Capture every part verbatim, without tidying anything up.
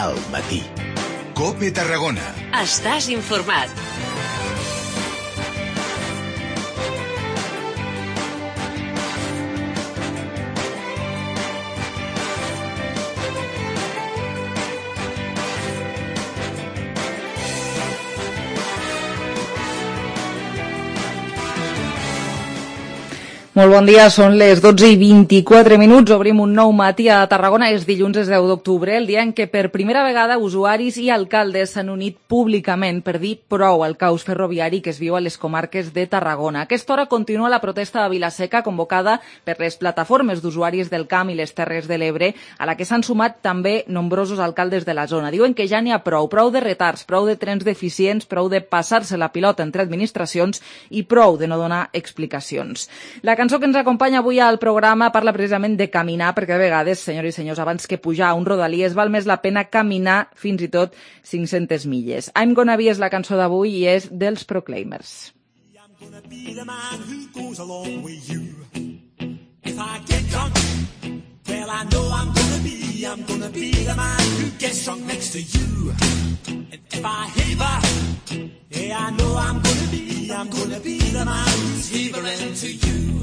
al matí. COPE Tarragona. Estàs informat. Molt bon dia, són les dotze i vint-i-quatre minuts, obrim un nou matí a Tarragona, és dilluns, és deu d'octubre, el dia en què per primera vegada usuaris i alcaldes s'han unit públicament per dir prou al caos ferroviari que es viu a les comarques de Tarragona. A aquesta hora continua la protesta de Vila-seca convocada per les plataformes d'usuaris del Camp i les Terres de l'Ebre, a la que s'han sumat també nombrosos alcaldes de la zona. Diuen que ja n'hi ha prou, prou de retards, prou de trens deficients, prou de passar-se la pilota entre administracions i prou de no donar explicacions. La La cançó que ens acompanya avui al programa parla precisament de caminar, perquè a vegades, senyors i senyors, abans que pujar a un rodalies val més la pena caminar fins i tot cinc-centes milles. I'm Gonna Be és la cançó d'avui i és dels Proclaimers. I'm gonna be the man who goes along with you. If I get drunk, well I know I'm gonna be, I'm gonna be the man who gets drunk next to you. And if I heaver, yeah I know I'm gonna be, I'm gonna be the man who's heavering to you.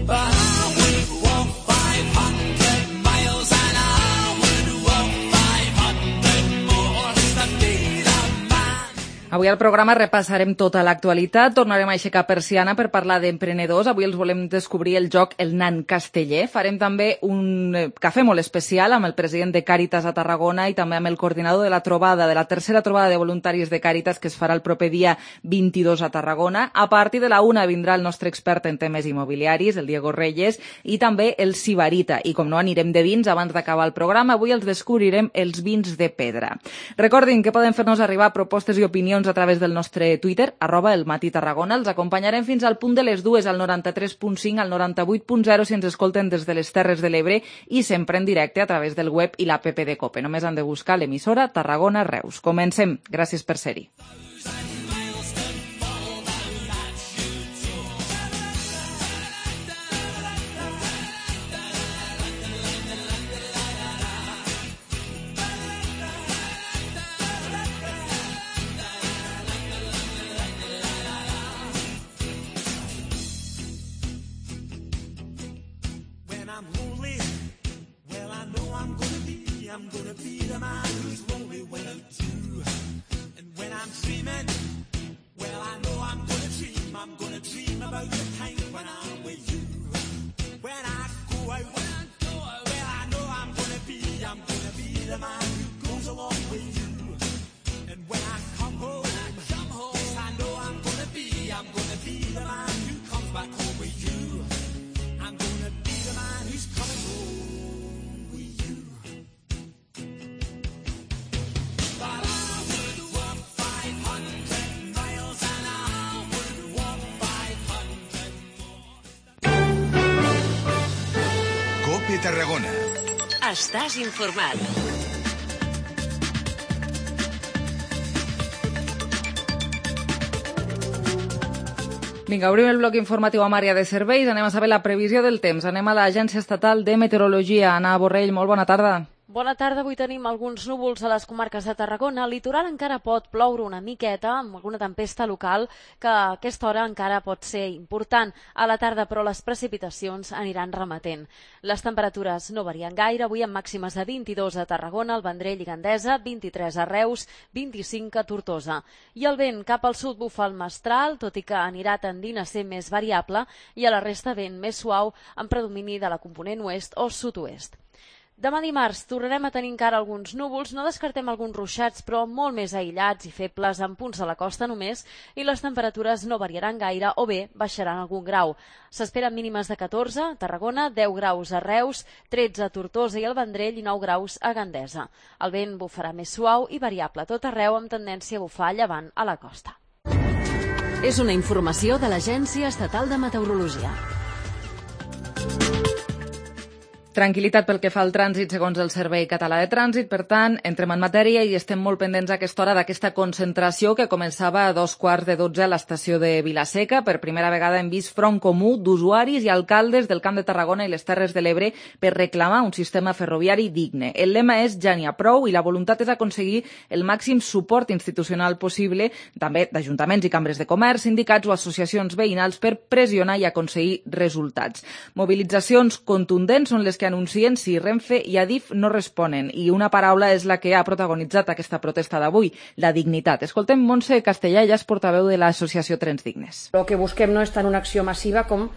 But I would walk five hundred miles and I would walk five hundred more to be the man. Avui al programa repassarem tota l'actualitat, tornarem a aixecar persiana per parlar d'emprenedors. Avui els volem descobrir el joc El Nan Casteller. Farem també un cafè molt especial amb el president de Càritas a Tarragona i també amb el coordinador de la trobada, de la tercera trobada de voluntaris de Càritas que es farà el proper dia vint-i-dos a Tarragona. A partir de la una vindrà el nostre expert en temes immobiliaris, el Diego Reyes, i també el Sibarita. I com no anirem de vins abans d'acabar el programa, avui els descobrirem els vins de pedra. Recordin que poden fer-nos arribar propostes i opinions a través del nostre Twitter, arroba el Matí Tarragona. Els acompanyarem fins al punt de les dues, al noranta-tres punt cinc, al noranta-vuit punt zero, si ens escolten des de les Terres de l'Ebre i sempre en directe a través del web i l'app de COPE. Només han de buscar l'emissora Tarragona Reus. Comencem. Gràcies per ser-hi. Tarragona. Estàs informat. Vinga, obrim el bloc informatiu amb àrea de serveis. Anem a saber la previsió del temps. Anem a l'Agència Estatal de Meteorologia. Anna Borrell, molt bona tarda. Bona tarda, avui tenim alguns núvols a les comarques de Tarragona. Al litoral encara pot ploure una miqueta, amb alguna tempesta local, que a aquesta hora encara pot ser important. A la tarda, però, les precipitacions aniran remetent. Les temperatures no varien gaire, avui amb màximes de vint-i-dos a Tarragona, al Vendrell i Gandesa, vint-i-tres a Reus, vint-i-cinc a Tortosa. I el vent cap al sud bufa el mestral, tot i que anirà tendint a ser més variable, i a la resta vent més suau, amb predomini de la component oest o sud-oest. Demà dimarts tornarem a tenir encara alguns núvols, no descartem alguns ruixats, però molt més aïllats i febles en punts de la costa només, i les temperatures no variaran gaire o bé baixaran algun grau. S'esperen mínimes de catorze a Tarragona, deu graus a Reus, tretze a Tortosa i el Vendrell i nou graus a Gandesa. El vent bufarà més suau i variable a tot arreu amb tendència a bufar llevant a la costa. És una informació de l'Agència Estatal de Meteorologia. Tranquil·litat pel que fa al trànsit segons el Servei Català de Trànsit. Per tant, entrem en matèria i estem molt pendents a aquesta hora d'aquesta concentració que començava a dos quarts de dotze a l'estació de Vila-seca. Per primera vegada hem vist front comú d'usuaris i alcaldes del Camp de Tarragona i les Terres de l'Ebre per reclamar un sistema ferroviari digne. El lema és Ja n'hi ha prou i la voluntat és aconseguir el màxim suport institucional possible, també d'ajuntaments i cambres de comerç, sindicats o associacions veïnals per pressionar i aconseguir resultats. Mobilitzacions contundents són les que anuncien si Renfe i Adif no responen. I una paraula és la que ha protagonitzat aquesta protesta d'avui, la dignitat. Escoltem Montse Castellà, ella és portaveu de l'associació Trens Dignes. El que busquem no és tant una acció massiva com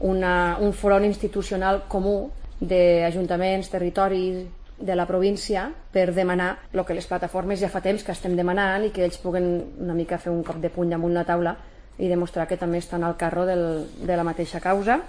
una, un front institucional comú d'ajuntaments, territoris de la província per demanar el que les plataformes ja fa temps que estem demanant i que ells puguen una mica fer un cop de puny damunt la taula i demostrar que també estan al carro del, de la mateixa causa.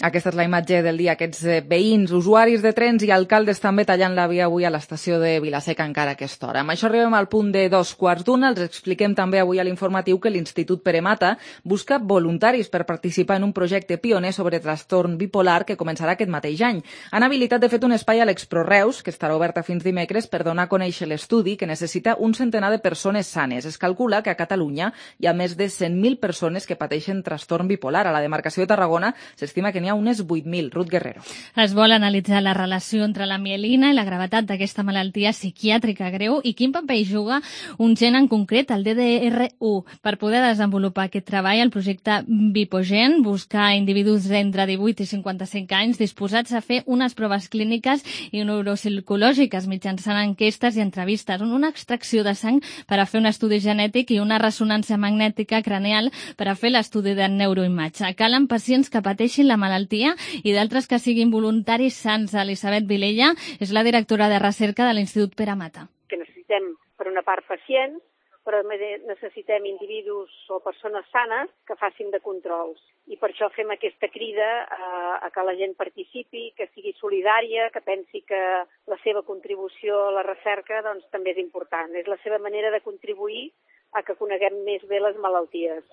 Aquesta és la imatge del dia. Aquests veïns, usuaris de trens i alcaldes també tallant la via avui a l'estació de Vila-seca encara a aquesta hora. Amb això arribem al punt de dos quarts d'una. Els expliquem també avui a l'informatiu que l'Institut Pere Mata busca voluntaris per participar en un projecte pioner sobre trastorn bipolar que començarà aquest mateix any. Han habilitat de fet un espai a l'Expro Reus, que estarà oberta fins dimecres, per donar a conèixer l'estudi que necessita un centenar de persones sanes. Es calcula que a Catalunya hi ha més de cent mil persones que pateixen trastorn bipolar. A la demarcació de Tarragona s'estima que n'hi ha unes vuit mil. Ruth Guerrero. Es vol analitzar la relació entre la mielina i la gravetat d'aquesta malaltia psiquiàtrica greu i quin paper hi juga un gen en concret, el D D R u. Per poder desenvolupar aquest treball, el projecte Bipogen busca individus d'entre divuit i cinquanta-cinc anys disposats a fer unes proves clíniques i neuropsicològiques mitjançant enquestes i entrevistes, una extracció de sang per a fer un estudi genètic i una ressonància magnètica craneal per a fer l'estudi de neuroimatge. Calen pacients que pateixin la malaltia i d'altres que siguin voluntaris sants. Elisabet Vilella és la directora de recerca de l'Institut Pere Mata. Que necessitem, per una part, pacients, però necessitem individus o persones sanes que facin de controls. I per això fem aquesta crida a, a que la gent participi, que sigui solidària, que pensi que la seva contribució a la recerca doncs, també és important. És la seva manera de contribuir a que coneguem més bé les malalties.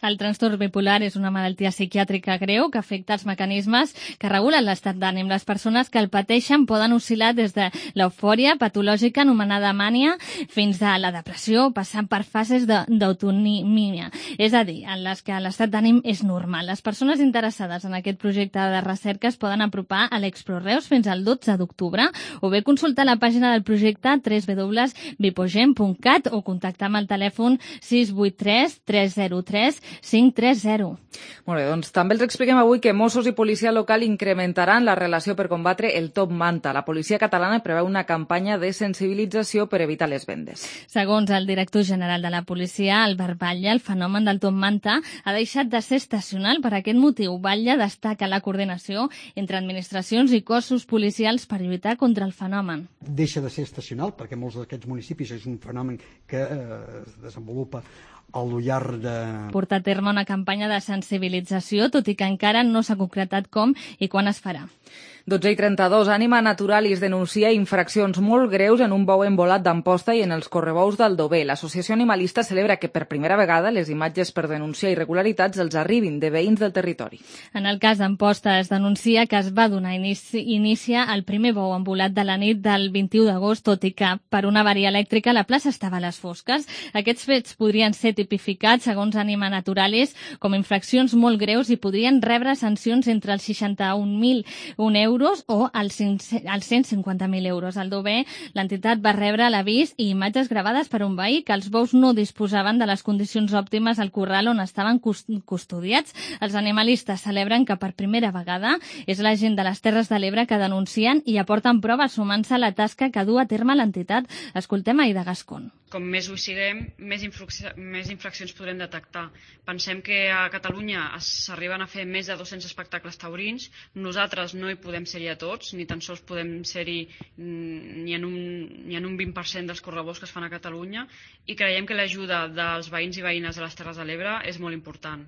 El trastorn bipolar és una malaltia psiquiàtrica greu que afecta els mecanismes que regulen l'estat d'ànim. Les persones que el pateixen poden oscil·lar des de l'eufòria patològica anomenada mània fins a la depressió, passant per fases d'autonomia, és a dir, en les que l'estat d'ànim és normal. Les persones interessades en aquest projecte de recerca es poden apropar a l'Expro Reus fins al dotze d'octubre o bé consultar la pàgina del projecte w w w punt bipogen punt cat o contactar amb el telèfon sis vuit tres tres zero tres cinc tres zero. Molt bé, doncs també els expliquem avui que Mossos i policia local incrementaran la relació per combatre el top manta. La policia catalana preveu una campanya de sensibilització per evitar les vendes. Segons el director general de la policia, Albert Batlle, el fenomen del top manta ha deixat de ser estacional. Per aquest motiu, Batlle destaca la coordinació entre administracions i cossos policials per lluitar contra el fenomen. Deixa de ser estacional perquè molts d'aquests municipis és un fenomen que eh, es desenvolupa al llarg de... Portar a terme una campanya de sensibilització, tot i que encara no s'ha concretat com i quan es farà. dotze i trenta-dos. Ànima Naturalis denuncia infraccions molt greus en un bou embolat d'Amposta i en els correbous d'Aldover. L'Associació Animalista celebra que per primera vegada les imatges per denunciar irregularitats els arribin de veïns del territori. En el cas d'Amposta es denuncia que es va donar inici, inici al primer bou embolat de la nit del vint-i-u d'agost, tot i que per una avaria elèctrica la plaça estava a les fosques. Aquests fets podrien ser tipificats, segons Ànima Naturalis, com infraccions molt greus i podrien rebre sancions entre els seixanta-un mil un euros o als cent cinquanta mil euros. Al Dover, l'entitat va rebre l'avís i imatges gravades per un veí que els bous no disposaven de les condicions òptimes al corral on estaven custodiats. Els animalistes celebren que per primera vegada és la gent de les Terres de l'Ebre que denuncien i aporten proves sumant-se a la tasca que du a terme l'entitat. Escoltem a Aida Gascón. Com més ho siguem, més, més infraccions podrem detectar. Pensem que a Catalunya s'arriben a fer més de dos-cents espectacles taurins. Nosaltres no hi podem ser-hi a tots, ni tan sols podem ser-hi ni en un, ni en un vint per cent dels correbous que es fan a Catalunya, i creiem que l'ajuda dels veïns i veïnes de les Terres de l'Ebre és molt important.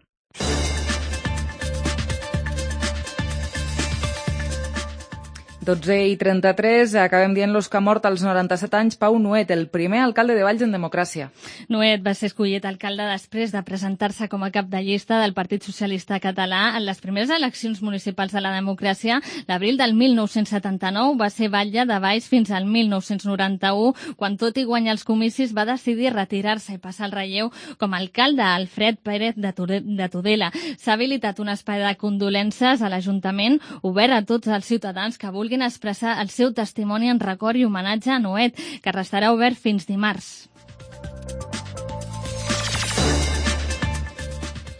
dotze i trenta-tres, acabem dient-los que ha mort als noranta-set anys Pau Nuet, el primer alcalde de Valls en democràcia. Nuet va ser escollit alcalde després de presentar-se com a cap de llista del Partit Socialista Català en les primeres eleccions municipals de la democràcia. L'abril del mil nou-cents setanta-nou va ser batlle de Valls fins al mil nou-cents noranta-u, quan tot i guanyar els comicis va decidir retirar-se i passar el relleu com a alcalde Alfred Pérez de Tudela. S'ha habilitat un espai de condolences a l'Ajuntament obert a tots els ciutadans que vulguin expressar el seu testimoni en record i homenatge a Nuet, que restarà obert fins dimarts.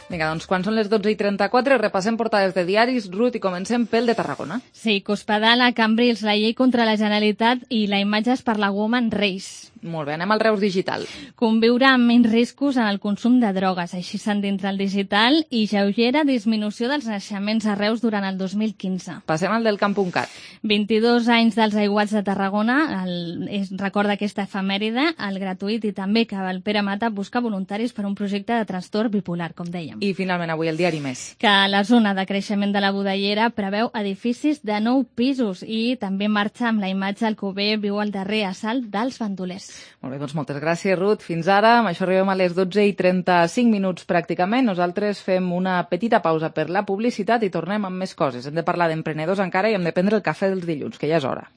Vinga, doncs quan són les dotze i trenta-quatre repassem portades de diaris, Ruth, i comencem pel de Tarragona. Sí, Cospedal a Cambrils, la llei contra la Generalitat i la imatges per la Woman Reis. Molt bé, anem al Reus Digital. Conviure amb menys riscos en el consum de drogues, així s'endintra el digital, i lleugera disminució dels naixements a Reus durant el dos mil quinze. Passem al del camp.cat. vint-i-dos anys dels aiguats de Tarragona, el, es recorda aquesta efemèride, el gratuït, i també que el Pere Mata busca voluntaris per un projecte de trastorn bipolar, com dèiem. I finalment avui el diari Més. Que la zona de creixement de la Budellera preveu edificis de nou pisos i també marxa amb la imatge Alcover viu el darrer assalt dels bandolers. Molt bé, doncs moltes gràcies, Ruth. Fins ara, amb això arribem a les dotze i trenta-cinc minuts pràcticament. Nosaltres fem una petita pausa per la publicitat i tornem amb més coses. Hem de parlar d'emprenedors encara i hem de prendre el cafè dels dilluns, que ja és hora.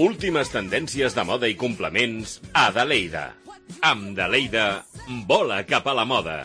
Últimes tendències de moda i complements a Daleida. Amb Daleida, vola cap a la moda.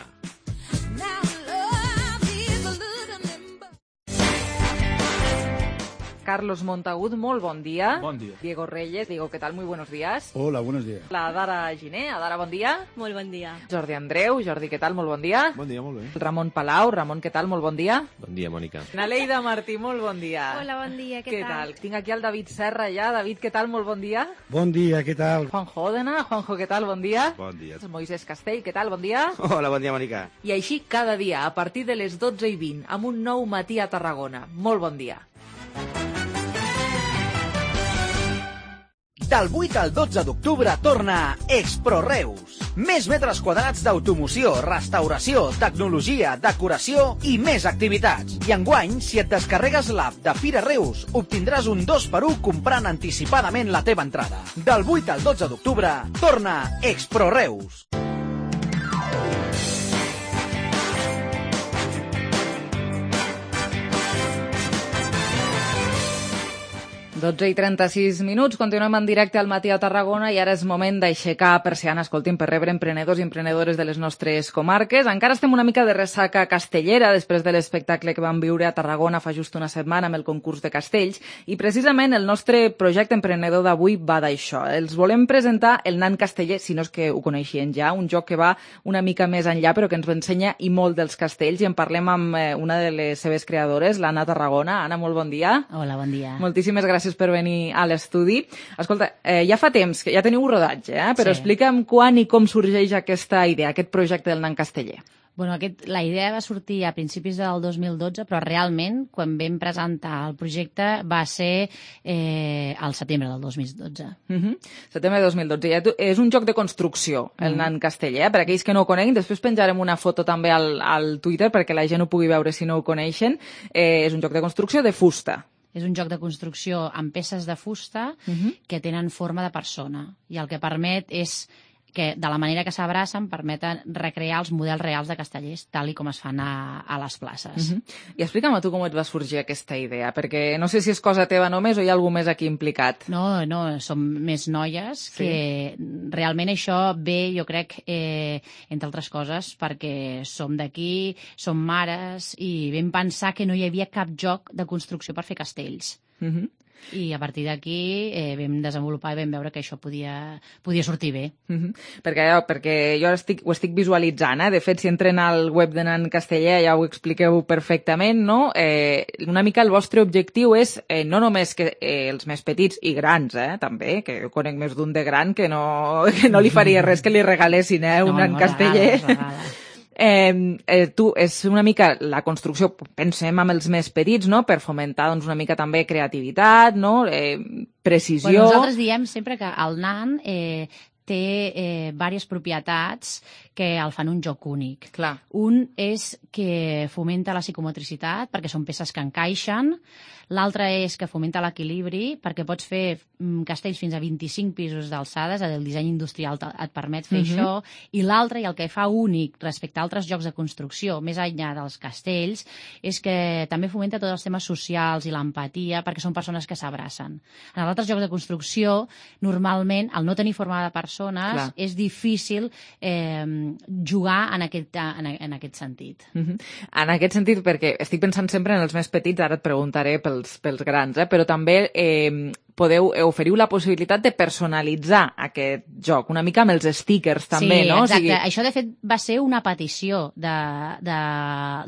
Carlos Montagut, molt bon dia. Bon dia. Diego Reyes, Diego, ¿qué tal? Muy buenos días. Hola, buenos días. La Dara Giné, Adara, bon dia. Molt bon dia. Jordi Andreu, Jordi, què tal? Molt bon dia. Bon dia, molt bé. Ramon Palau, Ramon, què tal? Molt bon dia. Bon dia, Mònica. Naleida Martí, molt bon dia. Hola, bon dia, què, què tal? tal? Tinc aquí el David Serra ja. David, què tal? Molt bon dia. Bon dia, què tal? Juanjo Òdena, Juanjo, què tal? Bon dia. Bon dia. Moisés Castell, què tal? Bon dia. Hola, bon dia, Mònica. I així cada dia, a partir de les dotze i vint, amb un nou matí a Tarragona. Molt bon dia. Del vuit al dotze d'octubre torna Expro Reus. Més metres quadrats d'automoció, restauració, tecnologia, decoració i més activitats. I enguany, si et descarregues l'app de Fira Reus, obtindràs un dos per u comprant anticipadament la teva entrada. Del vuit al dotze d'octubre torna Expro Reus. dotze i trenta-sis minuts, continuem en directe al matí a Tarragona i ara és moment d'aixecar persiana, escoltin, per rebre emprenedors i emprenedores de les nostres comarques. Encara estem una mica de ressaca castellera després de l'espectacle que vam viure a Tarragona fa just una setmana amb el concurs de castells i precisament el nostre projecte emprenedor d'avui va d'això. Els volem presentar el Nan Casteller, si no és que ho coneixien ja, un joc que va una mica més enllà però que ens ensenya i molt dels castells i en parlem amb una de les seves creadores, l'Anna Tarragona. Anna, molt bon dia. Hola, bon dia. Moltíssimes gràcies per venir a l'estudi. Escolta, eh, ja fa temps que ja teniu rodatge, eh? però sí. Explica'm quan i com sorgeix aquesta idea, aquest projecte del Nan Casteller. Bueno, aquest, la idea va sortir a principis del dos mil dotze, però realment, quan vam presentar el projecte, va ser eh, al setembre del dos mil dotze. Uh-huh. Setembre de dos mil dotze. Ja és un joc de construcció, el uh-huh. Nan Casteller. Eh? Per aquells que no ho coneguin, després penjarem una foto també al, al Twitter perquè la gent ho pugui veure si no ho coneixen. Eh, és un joc de construcció de fusta. És un joc de construcció amb peces de fusta uh-huh. que tenen forma de persona i el que permet és que, de la manera que s'abracen, permeten recrear els models reals de castellers, tal i com es fan a, a les places. Uh-huh. I explica'm a tu com et va sorgir aquesta idea, perquè no sé si és cosa teva només o hi ha algú més aquí implicat. No, no, som més noies, sí. que realment això ve, jo crec, eh, entre altres coses, perquè som d'aquí, som mares, i vam pensar que no hi havia cap joc de construcció per fer castells. Uh-huh. I a partir d'aquí eh, vam desenvolupar i vam veure que això podia, podia sortir bé. Uh-huh. perquè, perquè jo estic, ho estic visualitzant, eh? De fet, si entren al web de Nan Casteller ja ho expliqueu perfectament, no? Eh, una mica el vostre objectiu és eh, no només que eh, els més petits i grans, eh, també, que jo conec més d'un de gran que no, que no li faria res que li regalessin eh, un no, Nan no, Casteller. Regala, regala. Eh, eh, tu, és una mica la construcció, pensem amb els més petits, no?, per fomentar doncs, una mica també creativitat, no?, eh, precisió... Bueno, nosaltres diem sempre que el nan eh, té eh, diverses propietats que el fan un joc únic. Clar. Un és que fomenta la psicomotricitat, perquè són peces que encaixen. L'altre és que fomenta l'equilibri, perquè pots fer mm, castells fins a vint-i-cinc pisos d'alçades, el disseny industrial et permet fer Mhm. això. I l'altre, i el que fa únic respecte a altres jocs de construcció, més enllà dels castells, és que també fomenta tots els temes socials i l'empatia, perquè són persones que s'abracen. En els altres jocs de construcció, normalment, al no tenir forma de persones, Clar. és difícil eh, jugar en aquest, en, en aquest sentit. Mhm. En aquest sentit, perquè estic pensant sempre en els més petits, ara et preguntaré pels, pels grans, eh? Però també eh, podeu, oferiu la possibilitat de personalitzar aquest joc, una mica amb els stickers també, sí, no? Exacte. O sigui... Això, de fet, va ser una petició de, de,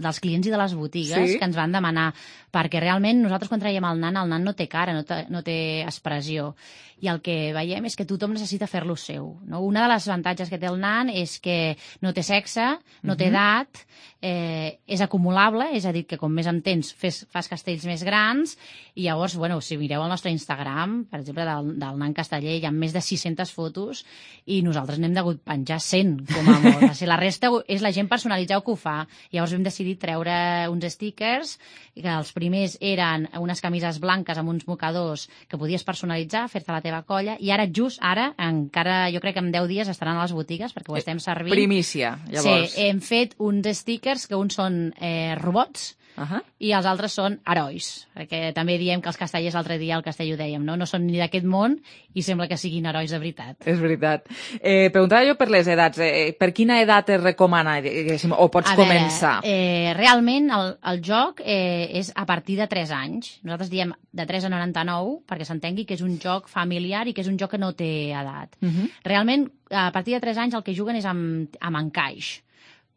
dels clients i de les botigues Sí? que ens van demanar, perquè realment nosaltres quan traiem el nan, el nan no té cara, no té, no té expressió. I el que veiem és que tothom necessita fer-lo seu. No? Una de les avantatges que té el nan és que no té sexe, no té Mhm. edat, eh, és acumulable, és a dir, que com més en tens fes, fas castells més grans, i llavors, bueno, si mireu el nostre Instagram, per exemple, del, del nan casteller, hi ha més de sis-centes fotos i nosaltres n'hem degut penjar cent, com a molt. O sigui, la resta és la gent personalitzada que ho fa. Llavors vam decidir treure uns stickers, que els primers eren unes camises blanques amb uns mocadors que podies personalitzar, fer-te la teva colla, i ara, just ara, encara jo crec que en deu dies estaran a les botigues, perquè ho estem servint. Primícia, llavors. Sí, hem fet uns stickers que uns són eh, robots, Uh -huh. i els altres són herois, perquè també diem que els castellers, l'altre dia al castell ho dèiem, no? No són ni d'aquest món i sembla que siguin herois de veritat. És veritat. Eh, preguntava jo per les edats. Eh, per quina edat es recomana, diguéssim, o pots A començar? Veure, eh, realment el, el joc eh, és a partir de tres anys. Nosaltres diem de tres a noranta-nou, perquè s'entengui que és un joc familiar i que és un joc que no té edat. Uh -huh. Realment, a partir de tres anys el que juguen és amb, amb encaix.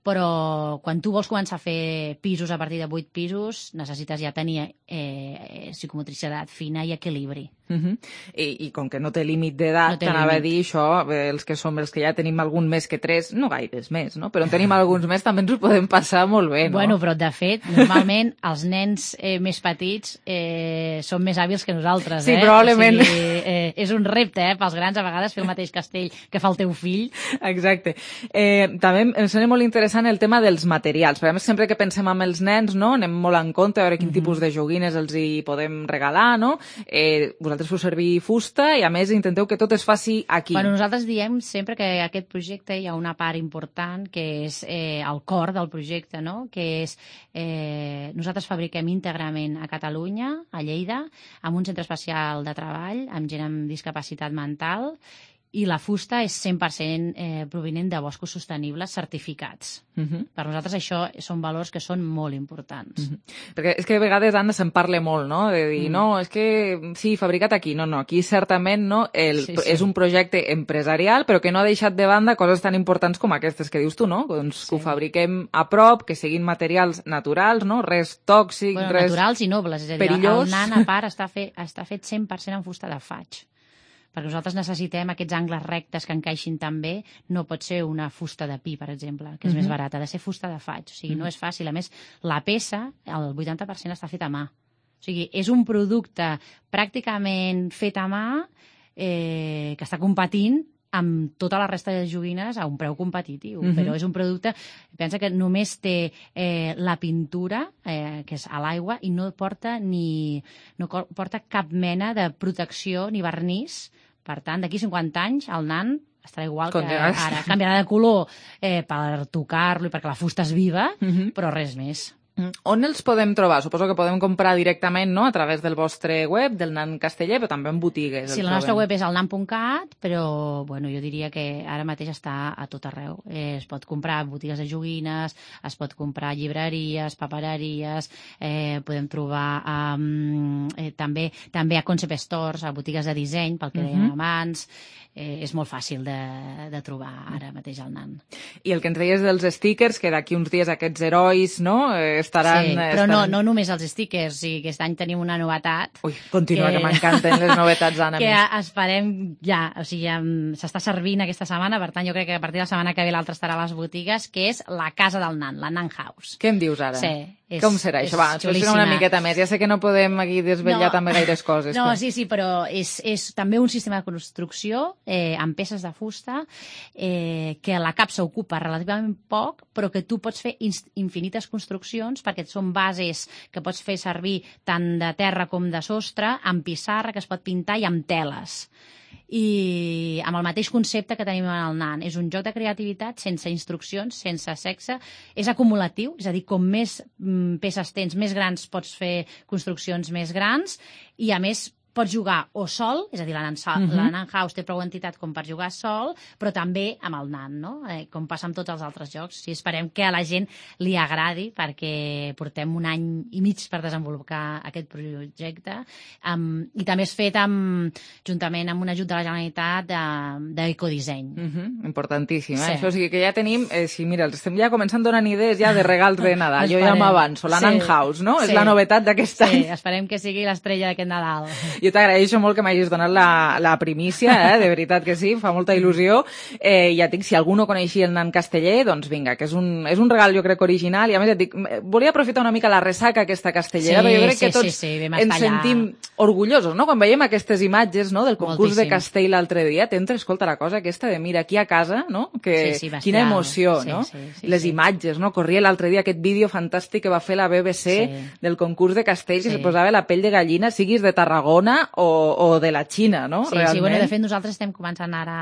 Però quan tu vols començar a fer pisos a partir de vuit pisos, necessites ja tenir eh, psicomotricitat fina i equilibri. Uh -huh. I, I com que no té límit d'edat, No té t'anava a límit. dir això, eh, els que som els que ja tenim algun més que tres, no gaires més, no? Però en tenim alguns més, també ens ho podem passar molt bé, no? Bueno, però de fet, normalment els nens eh, més petits eh, són més hàbils que nosaltres, Sí, eh? probablement. O sigui, eh, és un repte, eh, pels grans a vegades fer el mateix castell que fa el teu fill. Exacte. Eh, també em sembla molt interessant el tema dels materials, perquè a més sempre que pensem en els nens, no, anem molt en compte a veure quin Mhm. tipus de joguines els hi podem regalar, no? Eh, vosaltres feu servir fusta i a més intenteu que tot es faci aquí. Bueno, nosaltres diem sempre que aquest projecte hi ha una part important que és eh, el cor del projecte, no? Que és eh, nosaltres fabriquem íntegrament a Catalunya, a Lleida, amb un centre especial de treball, amb gent amb discapacitat mental, i la fusta és cent per cent eh, provinent de boscos sostenibles certificats. Uh -huh. Per nosaltres això són valors que són molt importants. Uh -huh. Perquè és que a vegades, Anna, se'n parla molt, no? De dir, Mm. no, és que sí, fabricat aquí. No, no, aquí certament no, el, Sí, sí. és un projecte empresarial, però que no ha deixat de banda coses tan importants com aquestes que dius tu, no? Doncs sí. Que ho fabriquem a prop, que siguin materials naturals, no? Res tòxic, Bueno, res naturals i nobles, és a dir, perillós. el nan a part està fet, està fet cent per cent en fusta de faig. Perquè nosaltres necessitem aquests angles rectes que encaixin també, no pot ser una fusta de pi, per exemple, que és Mhm. més barata, ha de ser fusta de faig, o sigui, Mhm. no és fàcil. A més, la peça, el vuitanta per cent està fet a mà. O sigui, és un producte pràcticament fet a mà eh, que està competint amb tota la resta de joguines a un preu competitiu, Mhm. però és un producte, pensa que només té eh, la pintura, eh, que és a l'aigua, i no porta ni no co- porta cap mena de protecció ni vernís. Per tant, d'aquí cinquanta anys el nan estarà igual que Continuarà. ara. Canviarà de color eh, per tocar-lo i perquè la fusta és viva, Mhm. però res més. On els podem trobar? Suposo que podem comprar directament, no?, a través del vostre web, del Nan Casteller, però també en botigues. Sí, el la nostra trobem. web és el nan punt cat, però bueno, jo diria que ara mateix està a tot arreu. Eh, es pot comprar a botigues de joguines, es pot comprar a llibreries, papereries, eh, podem trobar um, eh, també també a concept stores, a botigues de disseny, pel que dèiem Mhm. abans. Eh, és molt fàcil de, de trobar ara mateix el nan. I el que ens deies dels stickers, que d'aquí uns dies aquests herois, no?, eh, estaran... Sí, però no, estaran... no només els stickers, sí, aquest any tenim una novetat. Ui, continua, que, que m'encanten les novetats, Anna. Que esperem ja, o sigui, ja s'està servint aquesta setmana, per tant jo crec que a partir de la setmana que ve l'altra estarà a les botigues, que és la casa del nan, la Nan House. Què em dius ara? Sí, És, Com serà això? Va, explica una miqueta més. Ja sé que no podem aquí desvetllar no, també gaires coses. No, però... sí, sí, però és, és també un sistema de construcció eh, amb peces de fusta eh, que la capsa ocupa relativament poc, però que tu pots fer infinites construccions perquè són bases que pots fer servir tant de terra com de sostre, amb pissarra que es pot pintar i amb teles. I amb el mateix concepte que tenim en el nan. És un joc de creativitat sense instruccions, sense sexe, és acumulatiu, és a dir, com més peces tens, més grans pots fer construccions més grans i a més pots jugar o sol, és a dir, la Nan, uh-huh. la Nan House té prou entitat com per jugar sol, però també amb el Nan, no? Eh, com passa amb tots els altres jocs. I esperem que a la gent li agradi, perquè portem un any i mig per desenvolupar aquest projecte. Um, I també és fet amb, juntament amb un ajut de la Generalitat d'ecodisseny. De, uh-huh. Importantíssim, eh? Sí. Això o sigui que ja tenim, eh, sí, mira, estem ja començant donant idees ja de regals de Nadal. Jo ja m'avanço, la sí. Nan House, no? Sí. És la novetat d'aquest sí. any. Sí, esperem que sigui l'estrella d'aquest Nadal. Jo t'agraeixo molt que m'hagis donat la, la primícia, eh? De veritat que sí, fa molta il·lusió. Eh, ja et dic, si algú no coneixia el nan casteller, doncs vinga, que és un, és un regal jo crec original, i a més et dic, volia aprofitar una mica la ressaca aquesta castellera, sí, perquè jo crec sí, que tots sí, sí, ens sentim orgullosos, no?, quan veiem aquestes imatges, no?, del concurs Moltíssim. de castell l'altre dia, t'entra, escolta, la cosa aquesta de mira, aquí a casa, no?, que sí, sí, quina emoció, sí, no?, sí, sí, les sí. imatges, no?, corria l'altre dia aquest vídeo fantàstic que va fer la B B C sí. del concurs de castells, sí. i se posava la pell de gallina, siguis de Tarragona o, o de la Xina, no? Sí, Realment. sí, bueno, de fet nosaltres estem començant ara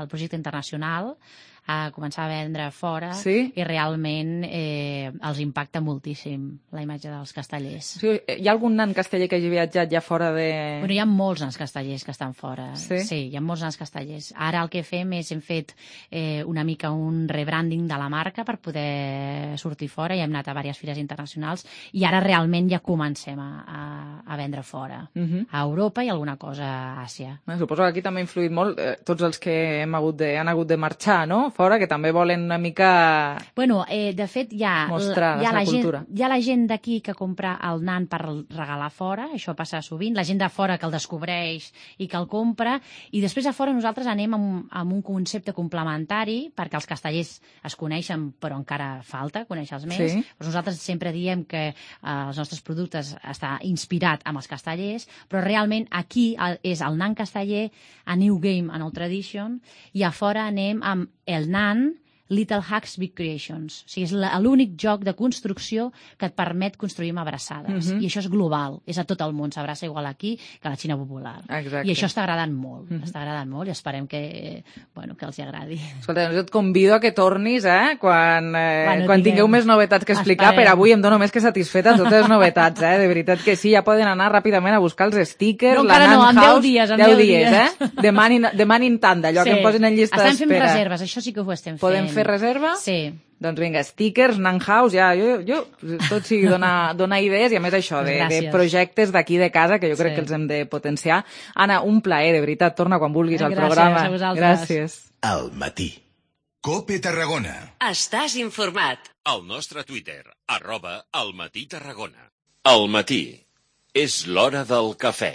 al projecte internacional a començar a vendre fora sí? i realment eh, els impacta moltíssim la imatge dels castellers. Sí, hi ha algun nan casteller que hagi viatjat ja fora de... Bueno, hi ha molts nans castellers que estan fora. Sí? Sí, hi ha molts nans castellers. Ara el que fem és, hem fet eh, una mica un rebranding de la marca per poder sortir fora i hem anat a diverses fires internacionals i ara realment ja comencem a, a, a vendre fora. Uh-huh. A Europa i alguna cosa a Àsia. Eh, suposo que aquí també ha influït molt eh, tots els que hem hagut de, han hagut de marxar, no?, fora, que també volen una mica... Bueno, eh, de fet, hi ha, mostrar hi ha la, la cultura. Gent, hi ha la gent d'aquí que compra el nan per regalar fora, això passa sovint, la gent de fora que el descobreix i que el compra, i després a fora nosaltres anem amb, amb un concepte complementari, perquè els castellers es coneixen, però encara falta conèixer-los més. Sí. Però nosaltres sempre diem que eh, els nostres productes està inspirat amb els castellers, però realment aquí el, és el nan casteller, a New Game, a Old Tradition, i a fora anem amb el nan Little Hacks, Big Creations. O sigui, és l'únic joc de construcció que et permet construir amb abraçades. Uh-huh. I això és global, és a tot el món. S'abraça igual aquí que a la Xina popular. Exacte. I això està agradant molt. Uh-huh. Està agradant molt i esperem que, bueno, que els hi agradi. Escolta, jo et convido a que tornis, eh? Quan, eh, bueno, quan tingueu més novetats que explicar. Esperem. Per avui em dono més que satisfeta totes les novetats, eh? De veritat que sí, ja poden anar ràpidament a buscar els stickers, no, la Nan no, en House. deu dies, en deu deu dies, dies. eh? Demanin, demanin tanda, allò sí. que em posin en llista d'espera. Estem fent reserves, això sí que ho estem fent. Podem fer reserva? Sí. Doncs vinga, stickers, Nan House, ja, jo, jo tot sigui donar, donar idees i a més això, de, de projectes d'aquí de casa que jo crec sí. que els hem de potenciar. Anna, un plaer, de veritat, torna quan vulguis al Gràcies programa. a vosaltres. Gràcies. Al matí. Cope Tarragona. Estàs informat. Al nostre Twitter, arroba al matí Tarragona. Al matí és l'hora del cafè.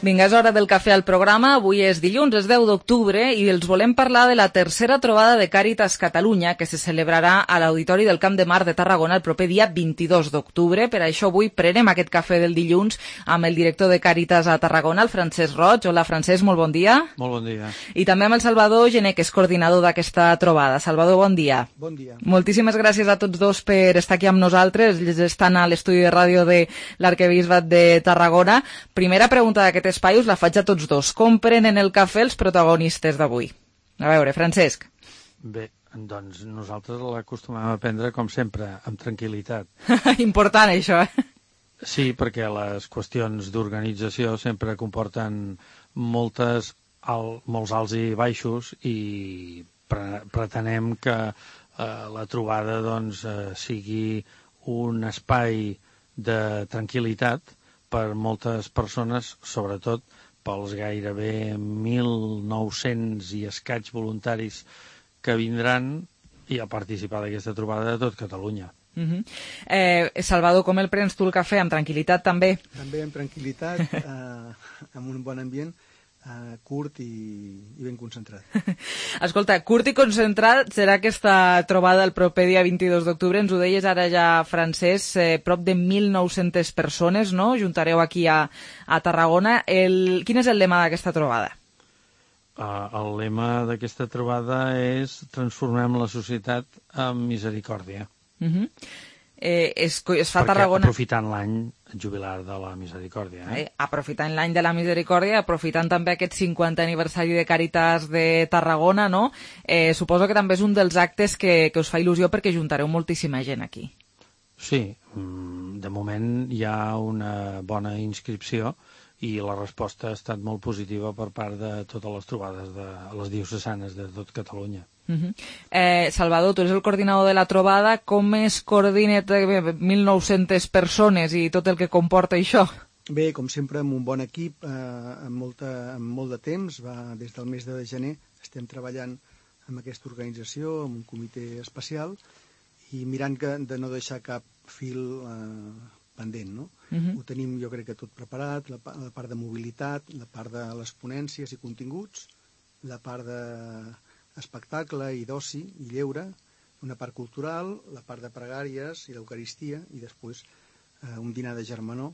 Vinga, és hora del cafè al programa. Avui és dilluns, és deu d'octubre, i els volem parlar de la tercera trobada de Càritas Catalunya, que se celebrarà a l'Auditori del Camp de Mar de Tarragona el proper dia vint-i-dos d'octubre. Per això avui prenem aquest cafè del dilluns amb el director de Càritas a Tarragona, el Francesc Roig. Hola, Francesc, molt bon dia. Molt bon dia. I també amb el Salvador Gené, que és coordinador d'aquesta trobada. Salvador, bon dia. Bon dia. Moltíssimes gràcies a tots dos per estar aquí amb nosaltres. Ells estan a l'estudi de ràdio de l'Arquebisbat de Tarragona. Primera pregunta d'aquest espai us la faig a tots dos. Com prenen el cafè els protagonistes d'avui? A veure, Francesc. Bé, doncs nosaltres l'acostumem a prendre, com sempre, amb tranquil·litat. Important, això, eh? Sí, perquè les qüestions d'organització sempre comporten moltes, al, molts alts i baixos i pre pretenem que eh, la trobada doncs, eh, sigui un espai de tranquil·litat per moltes persones, sobretot pels gairebé mil nou-cents i escaig voluntaris que vindran i a participar d'aquesta trobada de tot Catalunya. Uh-huh. eh, Salvador, com el prens tu el cafè? Amb tranquil·litat també? També amb tranquil·litat, eh, amb un bon ambient. uh, curt i, i ben concentrat. Escolta, curt i concentrat serà aquesta trobada el proper dia vint-i-dos d'octubre. Ens ho deies ara ja, Francesc, eh, prop de mil nou-centes persones, no? Juntareu aquí a, a Tarragona. El... Quin és el lema d'aquesta trobada? Uh, el lema d'aquesta trobada és transformem la societat amb misericòrdia. Uh-huh. eh, es, es fa a Perquè Tarragona... aprofitant l'any jubilar de la misericòrdia. Eh? Eh, aprofitant l'any de la misericòrdia, aprofitant també aquest cinquantè aniversari de Càritas de Tarragona, no? Eh, suposo que també és un dels actes que, que us fa il·lusió perquè juntareu moltíssima gent aquí. Sí, de moment hi ha una bona inscripció i la resposta ha estat molt positiva per part de totes les trobades de les diocesanes de tot Catalunya. Uh-huh. eh, Salvador, tu eres el coordinador de la trobada. Com es coordina mil nou-centes persones i tot el que comporta això? Bé, com sempre, amb un bon equip, eh, amb, molta, amb molt de temps. Va, des del mes de gener estem treballant amb aquesta organització, amb un comitè especial, i mirant que, de no deixar cap fil eh, pendent, no? Uh-huh. Ho tenim, jo crec que tot preparat, la, la part de mobilitat, la part de les ponències i continguts, la part d'espectacle i d'oci i lleure, una part cultural, la part de pregàries i d'eucaristia, i després eh, un dinar de germanor.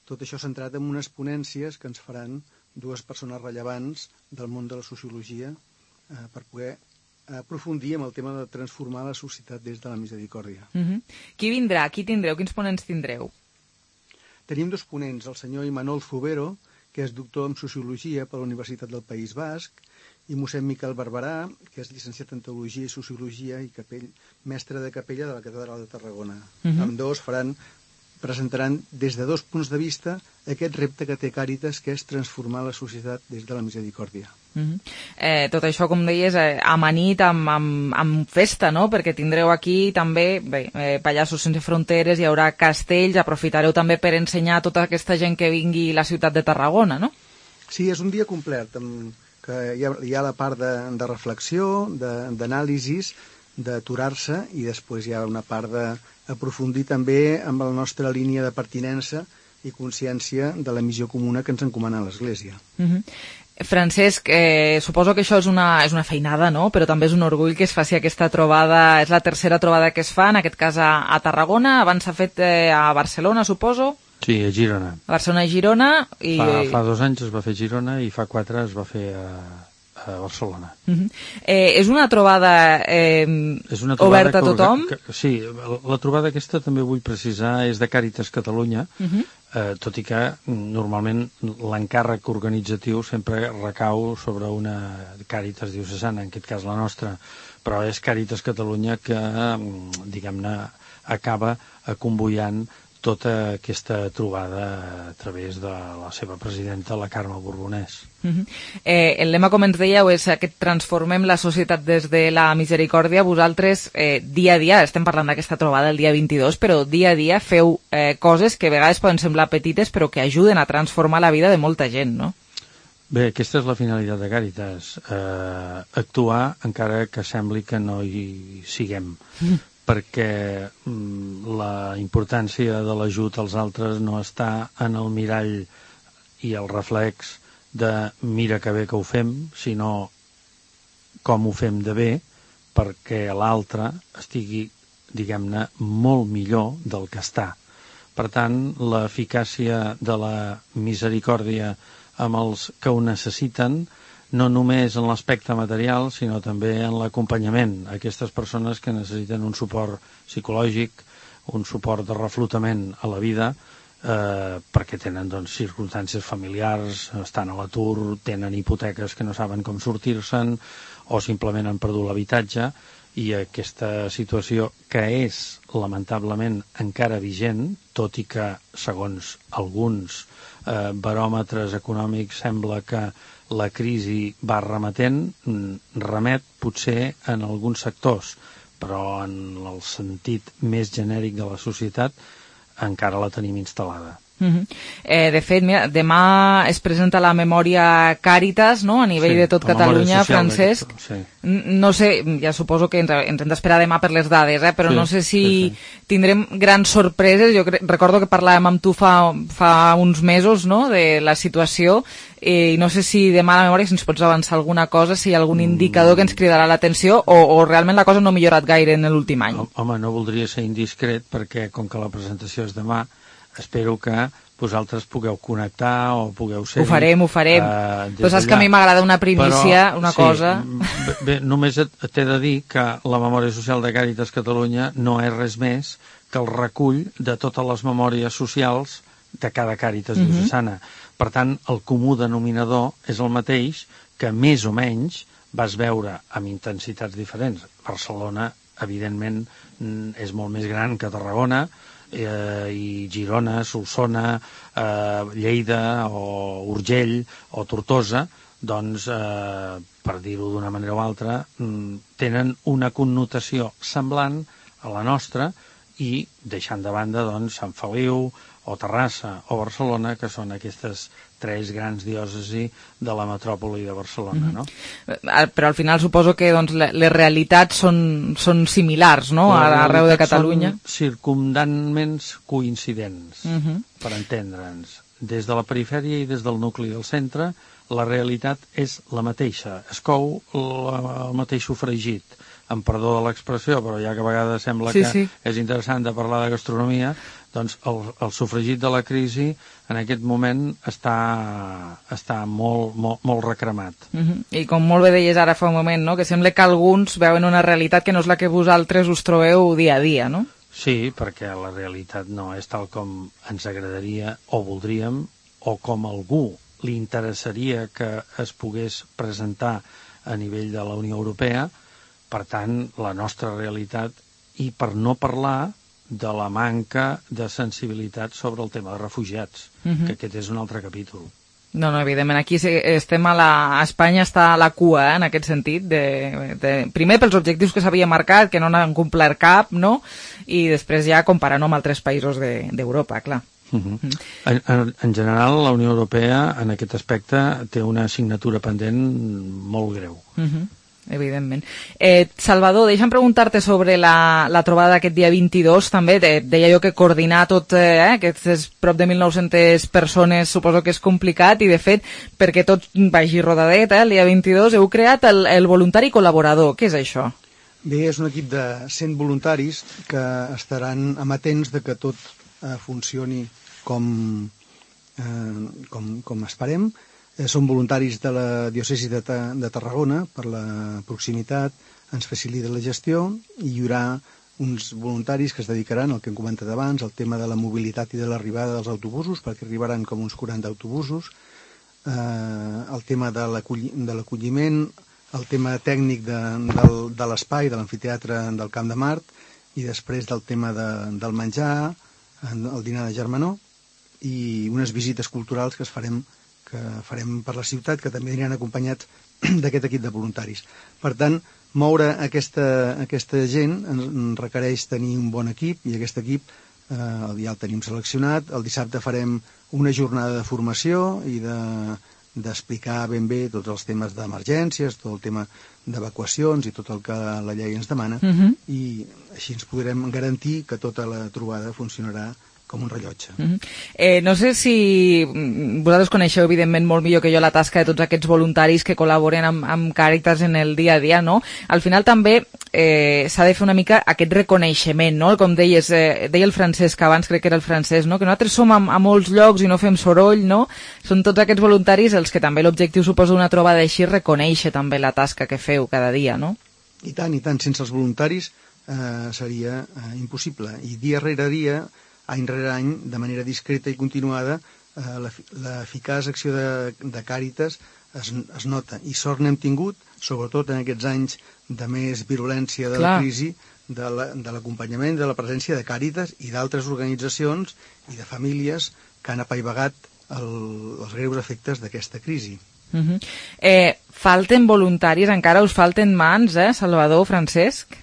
Tot això centrat en unes ponències que ens faran dues persones rellevants del món de la sociologia eh, per poder aprofundir en el tema de transformar la societat des de la misericòrdia. Uh-huh. Qui vindrà? Qui tindreu? Quins ponents tindreu? Tenim dos ponents, el senyor Imanol Zubero, que és doctor en Sociologia per la Universitat del País Basc, i mossèn Miquel Barberà, que és llicenciat en Teologia i Sociologia i capell, mestre de capella de la Catedral de Tarragona. Uh-huh. Ambdós faran, presentaran des de dos punts de vista aquest repte que té Càritas, que és transformar la societat des de la misericòrdia. Uh-huh. eh, tot això, com deies, eh, amanit amb, amb, amb festa, no? Perquè tindreu aquí també bé, eh, Pallassos Sense Fronteres, hi haurà castells, aprofitareu també per ensenyar a tota aquesta gent que vingui a la ciutat de Tarragona, no? Sí, és un dia complet, amb, que hi ha, hi ha la part de, de reflexió, d'anàlisis, d'aturar-se, i després hi ha una part d'aprofundir també amb la nostra línia de pertinença i consciència de la missió comuna que ens encomana l'Església. Uh-huh. Francesc, eh, suposo que això és una, és una feinada, no? Però també és un orgull que es faci aquesta trobada. És la tercera trobada que es fa, en aquest cas a, a Tarragona. Abans s'ha fet eh, a Barcelona, suposo? Sí, a Girona. A Barcelona i Girona. I... Fa, fa dos anys es va fer a Girona i fa quatre es va fer a, a Barcelona. Uh-huh. eh, és una trobada, eh, és una trobada oberta a tothom? Que, que, sí, la, la trobada aquesta també vull precisar, és de Càritas Catalunya, uh-huh. eh, tot i que normalment l'encàrrec organitzatiu sempre recau sobre una Càritas diocesana, en aquest cas la nostra, però és Càritas Catalunya que, diguem-ne, acaba convoiant tota aquesta trobada a través de la seva presidenta, la Carme Borbonès. Uh-huh. eh, el lema, com ens dèieu, és que transformem la societat des de la misericòrdia. Vosaltres, eh, dia a dia, estem parlant d'aquesta trobada el dia vint-i-dos, però dia a dia feu eh, coses que a vegades poden semblar petites, però que ajuden a transformar la vida de molta gent, no? Bé, aquesta és la finalitat de Càritas, eh, actuar encara que sembli que no hi siguem. Mm. perquè mm, la importància de l'ajut als altres no està en el mirall i el reflex de mira que bé que ho fem, sinó com ho fem de bé perquè l'altre estigui, diguem-ne, molt millor del que està. Per tant, l'eficàcia de la misericòrdia amb els que ho necessiten no només en l'aspecte material, sinó també en l'acompanyament a aquestes persones que necessiten un suport psicològic, un suport de reflotament a la vida, eh, perquè tenen doncs, circumstàncies familiars, estan a l'atur, tenen hipoteques que no saben com sortir-se'n, o simplement han perdut l'habitatge, i aquesta situació, que és lamentablement encara vigent, tot i que, segons alguns eh, baròmetres econòmics, sembla que la crisi va remetent, remet potser en alguns sectors, però en el sentit més genèric de la societat encara la tenim instal·lada. Uh-huh. eh, de fet, mira, demà es presenta la memòria Càritas, no?, a nivell sí, de tot Catalunya, Francesc. Sí. No sé, ja suposo que ens, ens hem d'esperar demà per les dades, eh? però sí, no sé si sí, sí. tindrem grans sorpreses. Jo cre- recordo que parlàvem amb tu fa, fa uns mesos, no?, de la situació, eh, i no sé si demà a la memòria si ens pots avançar alguna cosa, si hi ha algun indicador que ens cridarà l'atenció, o, o realment la cosa no ha millorat gaire en l'últim any. Home, no voldria ser indiscret, perquè com que la presentació és demà, espero que vosaltres pugueu connectar o pugueu ser... Ho farem, ho farem. Uh, Però saps que a mi m'agrada una primícia, Però, una sí, cosa... Bé, bé, només t'he de dir que la Memòria Social de Càritas Catalunya no és res més que el recull de totes les memòries socials de cada Càritas uh-huh. diocesana. Per tant, el comú denominador és el mateix que més o menys vas veure amb intensitats diferents. Barcelona, evidentment, és molt més gran que Tarragona, Eh, i Girona, Solsona, eh, Lleida o Urgell o Tortosa, doncs, eh, per dir-ho d'una manera o altra, tenen una connotació semblant a la nostra, i deixant de banda doncs, Sant Feliu o Terrassa o Barcelona, que són aquestes tres grans diòcesis de la metròpoli de Barcelona, no? Mm-hmm. Però al final suposo que doncs, les realitats són, són similars, no?, arreu de Catalunya. Són circumdantment coincidents, mm-hmm. per entendre'ns. Des de la perifèria i des del nucli del centre, la realitat és la mateixa. Es cou la, el mateix sofregit. Em perdó de l'expressió, però ja que a vegades sembla sí, que sí. és interessant de parlar de gastronomia, doncs el, el sofregit de la crisi en aquest moment està, està molt, molt, molt recremat. Uh-huh. I com molt bé deies ara fa un moment, no?, que sembla que alguns veuen una realitat que no és la que vosaltres us trobeu dia a dia, no? Sí, perquè la realitat no és tal com ens agradaria o voldríem, o com a algú li interessaria que es pogués presentar a nivell de la Unió Europea. Per tant, la nostra realitat, i per no parlar de la manca de sensibilitat sobre el tema de refugiats, uh-huh. que aquest és un altre capítol. No, no, evidentment, aquí estem a, la, a Espanya està a la cua, eh, en aquest sentit, de, de, primer pels objectius que s'havia marcat, que no n'han complert cap, no?, i després ja comparant amb altres països d'Europa, de, clar. Uh-huh. Uh-huh. En, en, en general, la Unió Europea, en aquest aspecte, té una assignatura pendent molt greu. Uh-huh. Evidentment. Eh, Salvador, deixa'm preguntar-te sobre la, la trobada d'aquest dia vint-i-dos, també. De, deia jo que coordinar tot, eh, aquestes prop de mil nou-centes persones suposo que és complicat, i de fet, perquè tot vagi rodadet, eh, el dia vint-i-dos, heu creat el, el voluntari col·laborador. Què és això? Bé, és un equip de cent voluntaris que estaran amatents de que tot eh, funcioni com, eh, com, com esperem. Som voluntaris de la diòcesi de, Ta de Tarragona, per la proximitat, ens facilita la gestió, i hi haurà uns voluntaris que es dedicaran al que hem comentat abans, al tema de la mobilitat i de l'arribada dels autobusos, perquè arribaran com uns quaranta autobusos, eh, el tema de l'acolliment, el tema tècnic de, del, de l'espai, de l'amfiteatre del Camp de Mart, i després del tema de, del menjar, el dinar de germanor, i unes visites culturals que es farem que farem per la ciutat, que també aniran acompanyats d'aquest equip de voluntaris. Per tant, moure aquesta, aquesta gent ens requereix tenir un bon equip, i aquest equip eh, ja el tenim seleccionat. El dissabte farem una jornada de formació i de, d'explicar ben bé tots els temes d'emergències, tot el tema d'evacuacions i tot el que la llei ens demana, uh-huh. i així ens podrem garantir que tota la trobada funcionarà com un rellotge. Uh-huh. eh, no sé si vosaltres coneixeu evidentment molt millor que jo la tasca de tots aquests voluntaris que col·laboren amb, amb Càritas en el dia a dia, no? Al final també eh, s'ha de fer una mica aquest reconeixement, no? Com deies, eh, deia el Francesc abans, crec que era el francès, no? Que nosaltres som a, a molts llocs i no fem soroll, no? Són tots aquests voluntaris els que també l'objectiu suposa d'una trobada així, reconèixer també la tasca que feu cada dia, no? I tant, i tant, sense els voluntaris eh, seria eh, impossible. I dia rere dia, any rere any, de manera discreta i continuada, eh, l'eficaç acció de, de Càritas es, es nota. I sort n'hem tingut, sobretot en aquests anys de més virulència de Clar. la crisi, de l'acompanyament, la, de la presència de Càritas i d'altres organitzacions i de famílies que han apaivagat el, els greus efectes d'aquesta crisi. Uh-huh. eh, falten voluntaris, encara us falten mans, eh, Salvador, Francesc?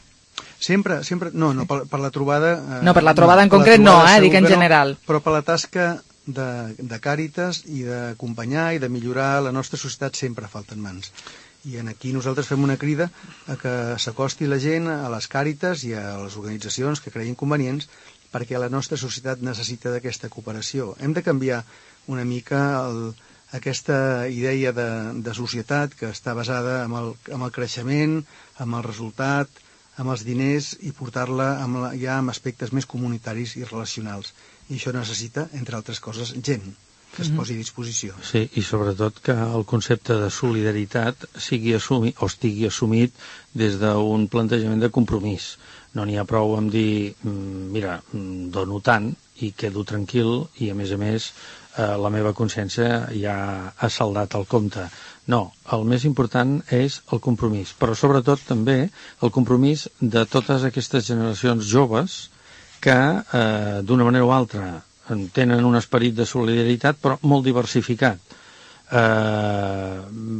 Sempre, sempre, no, no, per, per la trobada... Eh, no, per la trobada no, en concret no, eh, dic en general. No, però per la tasca de, de Càritas i d'acompanyar i de millorar la nostra societat sempre falten mans. I en aquí nosaltres fem una crida a que s'acosti la gent a les Càritas i a les organitzacions que creguin convenients, perquè la nostra societat necessita d'aquesta cooperació. Hem de canviar una mica el, aquesta idea de, de societat que està basada en el, en el creixement, en el resultat, amb els diners, i portar-la amb la, ja amb aspectes més comunitaris i relacionals. I això necessita, entre altres coses, gent que es posi a disposició. Sí, i sobretot que el concepte de solidaritat sigui assumit, o estigui assumit des d'un plantejament de compromís. No n'hi ha prou amb dir, mira, dono tant i quedo tranquil i, a més a més, eh, la meva consciència ja ha saldat el compte. No, el més important és el compromís, però sobretot també el compromís de totes aquestes generacions joves que, eh, d'una manera o altra, tenen un esperit de solidaritat, però molt diversificat. Eh,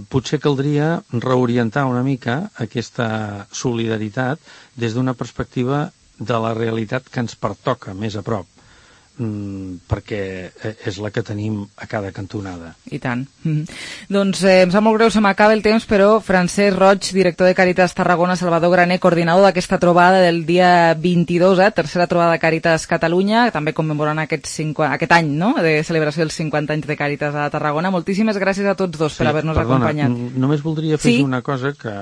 potser caldria reorientar una mica aquesta solidaritat des d'una perspectiva de la realitat que ens pertoca més a prop, mm, perquè és la que tenim a cada cantonada. I tant. Mm. Doncs eh, em sap molt greu, se m'acaba el temps, però Francesc Roig, director de Càritas Tarragona, Salvador Graner, coordinador d'aquesta trobada del dia vint-i-dos, eh, tercera trobada de Càritas Catalunya, també commemorant aquest, cinquanta, aquest any, no?, de celebració dels cinquanta anys de Càritas a Tarragona. Moltíssimes gràcies a tots dos sí, per haver-nos perdona, acompanyat. Només voldria fer sí? una cosa que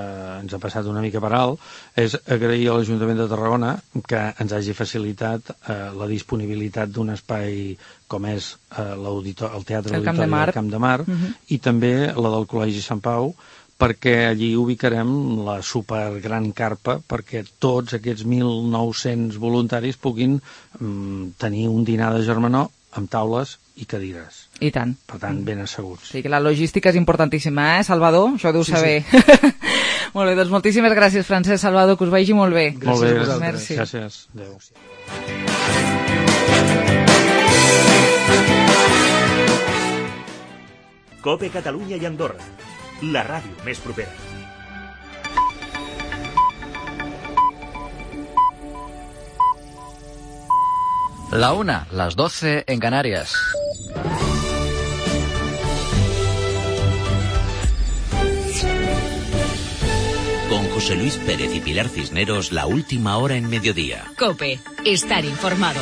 ens ha passat una mica per alt, és agrair a l'Ajuntament de Tarragona que ens hagi facilitat eh, la disponibilitat d'un espai com és eh, el Teatre el Auditori del Camp de Mar, uh -huh. i també la del Col·legi Sant Pau, perquè allí ubicarem la supergran carpa perquè tots aquests mil nou-cents voluntaris puguin mm, tenir un dinar de germanor amb taules i cadires. I tant. Per tant, ben asseguts. Sí, que la logística és importantíssima, eh, Salvador? Això ho deu sí, saber. Sí. Molt bé, doncs moltíssimes gràcies, Francesc, Salvador, que us vagi molt bé. Gràcies molt bé, a vosaltres. Merci. Gràcies. Adéu. COPE Catalunya i Andorra, la ràdio més propera. La una, las doce en Canarias. Con José Luis Pérez y Pilar Cisneros, la última hora en mediodía. COPE, estar informado.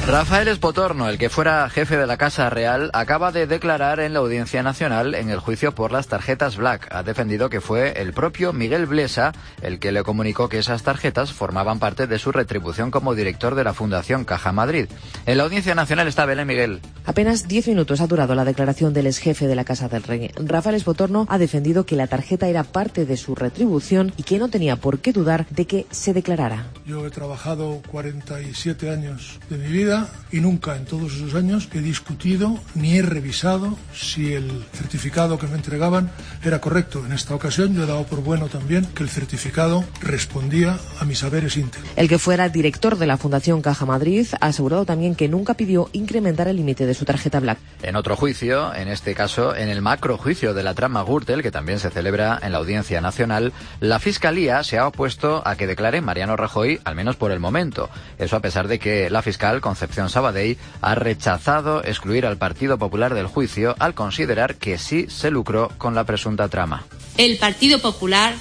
Rafael Espotorno, el que fuera jefe de la Casa Real, acaba de declarar en la Audiencia Nacional en el juicio por las tarjetas Black. Ha defendido que fue el propio Miguel Blesa el que le comunicó que esas tarjetas formaban parte de su retribución como director de la Fundación Caja Madrid. En la Audiencia Nacional está Belén Miguel. Apenas diez minutos ha durado la declaración del exjefe de la Casa del Rey. Rafael Espotorno ha defendido que la tarjeta era parte de su retribución y que no tenía por qué dudar de que se declarara. Yo he trabajado cuarenta y siete años de mi vida y nunca en todos esos años he discutido ni he revisado si el certificado que me entregaban era correcto. En esta ocasión yo he dado por bueno también que el certificado respondía a mis saberes íntegros. El que fuera director de la Fundación Caja Madrid ha asegurado también que nunca pidió incrementar el límite de su tarjeta Black. En otro juicio, en este caso en el macrojuicio de la trama Gürtel, que también se celebra en la Audiencia Nacional, la Fiscalía se ha opuesto a que declare Mariano Rajoy, al menos por el momento. Eso a pesar de que la fiscal Concepción Sabadell ha rechazado excluir al Partido Popular del juicio al considerar que sí se lucró con la presunta trama. El Partido Popular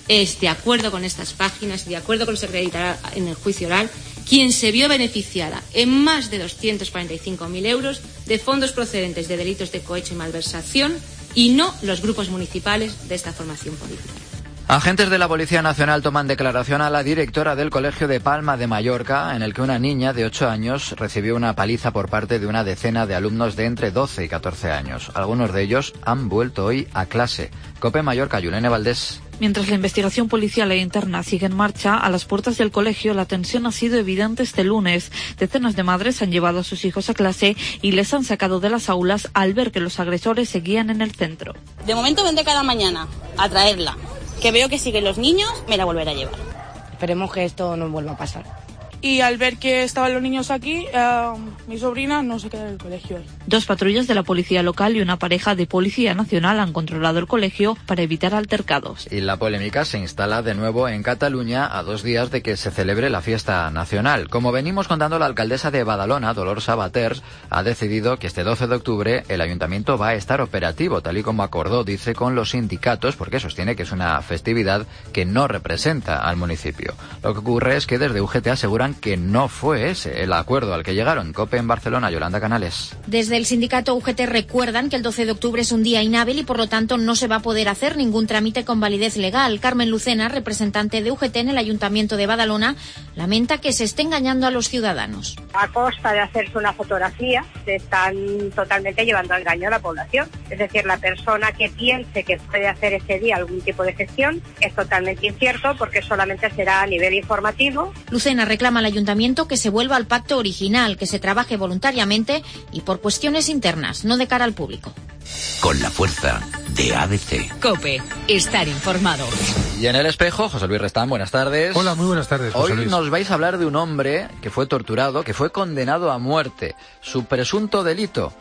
es, de acuerdo con estas páginas y de acuerdo con lo que se acreditará en el juicio oral, quien se vio beneficiada en más de doscientos cuarenta y cinco mil euros de fondos procedentes de delitos de cohecho y malversación y no los grupos municipales de esta formación política. Agentes de la Policía Nacional toman declaración a la directora del Colegio de Palma de Mallorca, en el que una niña de ocho años recibió una paliza por parte de una decena de alumnos de entre doce y catorce años. Algunos de ellos han vuelto hoy a clase. COPE Mallorca, Yulene Valdés. Mientras la investigación policial e interna sigue en marcha, a las puertas del colegio la tensión ha sido evidente este lunes. Decenas de madres han llevado a sus hijos a clase y les han sacado de las aulas al ver que los agresores seguían en el centro. De momento vendré cada mañana a traerla. Que veo que siguen los niños, me la volveré a llevar. Esperemos que esto no vuelva a pasar. y al ver que estaban los niños aquí, eh, mi sobrina no se queda en el colegio hoy. Dos patrullas de la policía local y una pareja de policía nacional han controlado el colegio para evitar altercados. Y la polémica se instala de nuevo en Cataluña a dos días de que se celebre la fiesta nacional. Como venimos contando, la alcaldesa de Badalona, Dolors Sabaters, ha decidido que este doce de octubre el ayuntamiento va a estar operativo, tal y como acordó, dice, con los sindicatos, porque sostiene que es una festividad que no representa al municipio. Lo que ocurre es que desde U G T aseguran que no fue ese el acuerdo al que llegaron. COPE en Barcelona, Yolanda Canales. Desde el sindicato U G T recuerdan que el doce de octubre es un día inhábil y por lo tanto no se va a poder hacer ningún trámite con validez legal. Carmen Lucena, representante de U G T en el Ayuntamiento de Badalona, lamenta que se esté engañando a los ciudadanos. A costa de hacerse una fotografía, se están totalmente llevando al engaño a la población. Es decir, la persona que piense que puede hacer ese día algún tipo de gestión es totalmente incierto porque solamente será a nivel informativo. Lucena reclama al Ayuntamiento que se vuelva al pacto original, que se trabaje voluntariamente y por cuestiones internas, no de cara al público. Con la fuerza de A B C. COPE, estar informado. Y en El Espejo, José Luis Restán, buenas tardes. Hola, muy buenas tardes, José Luis. Hoy nos vais a hablar de un hombre que fue torturado, que fue condenado a muerte. Su presunto delito,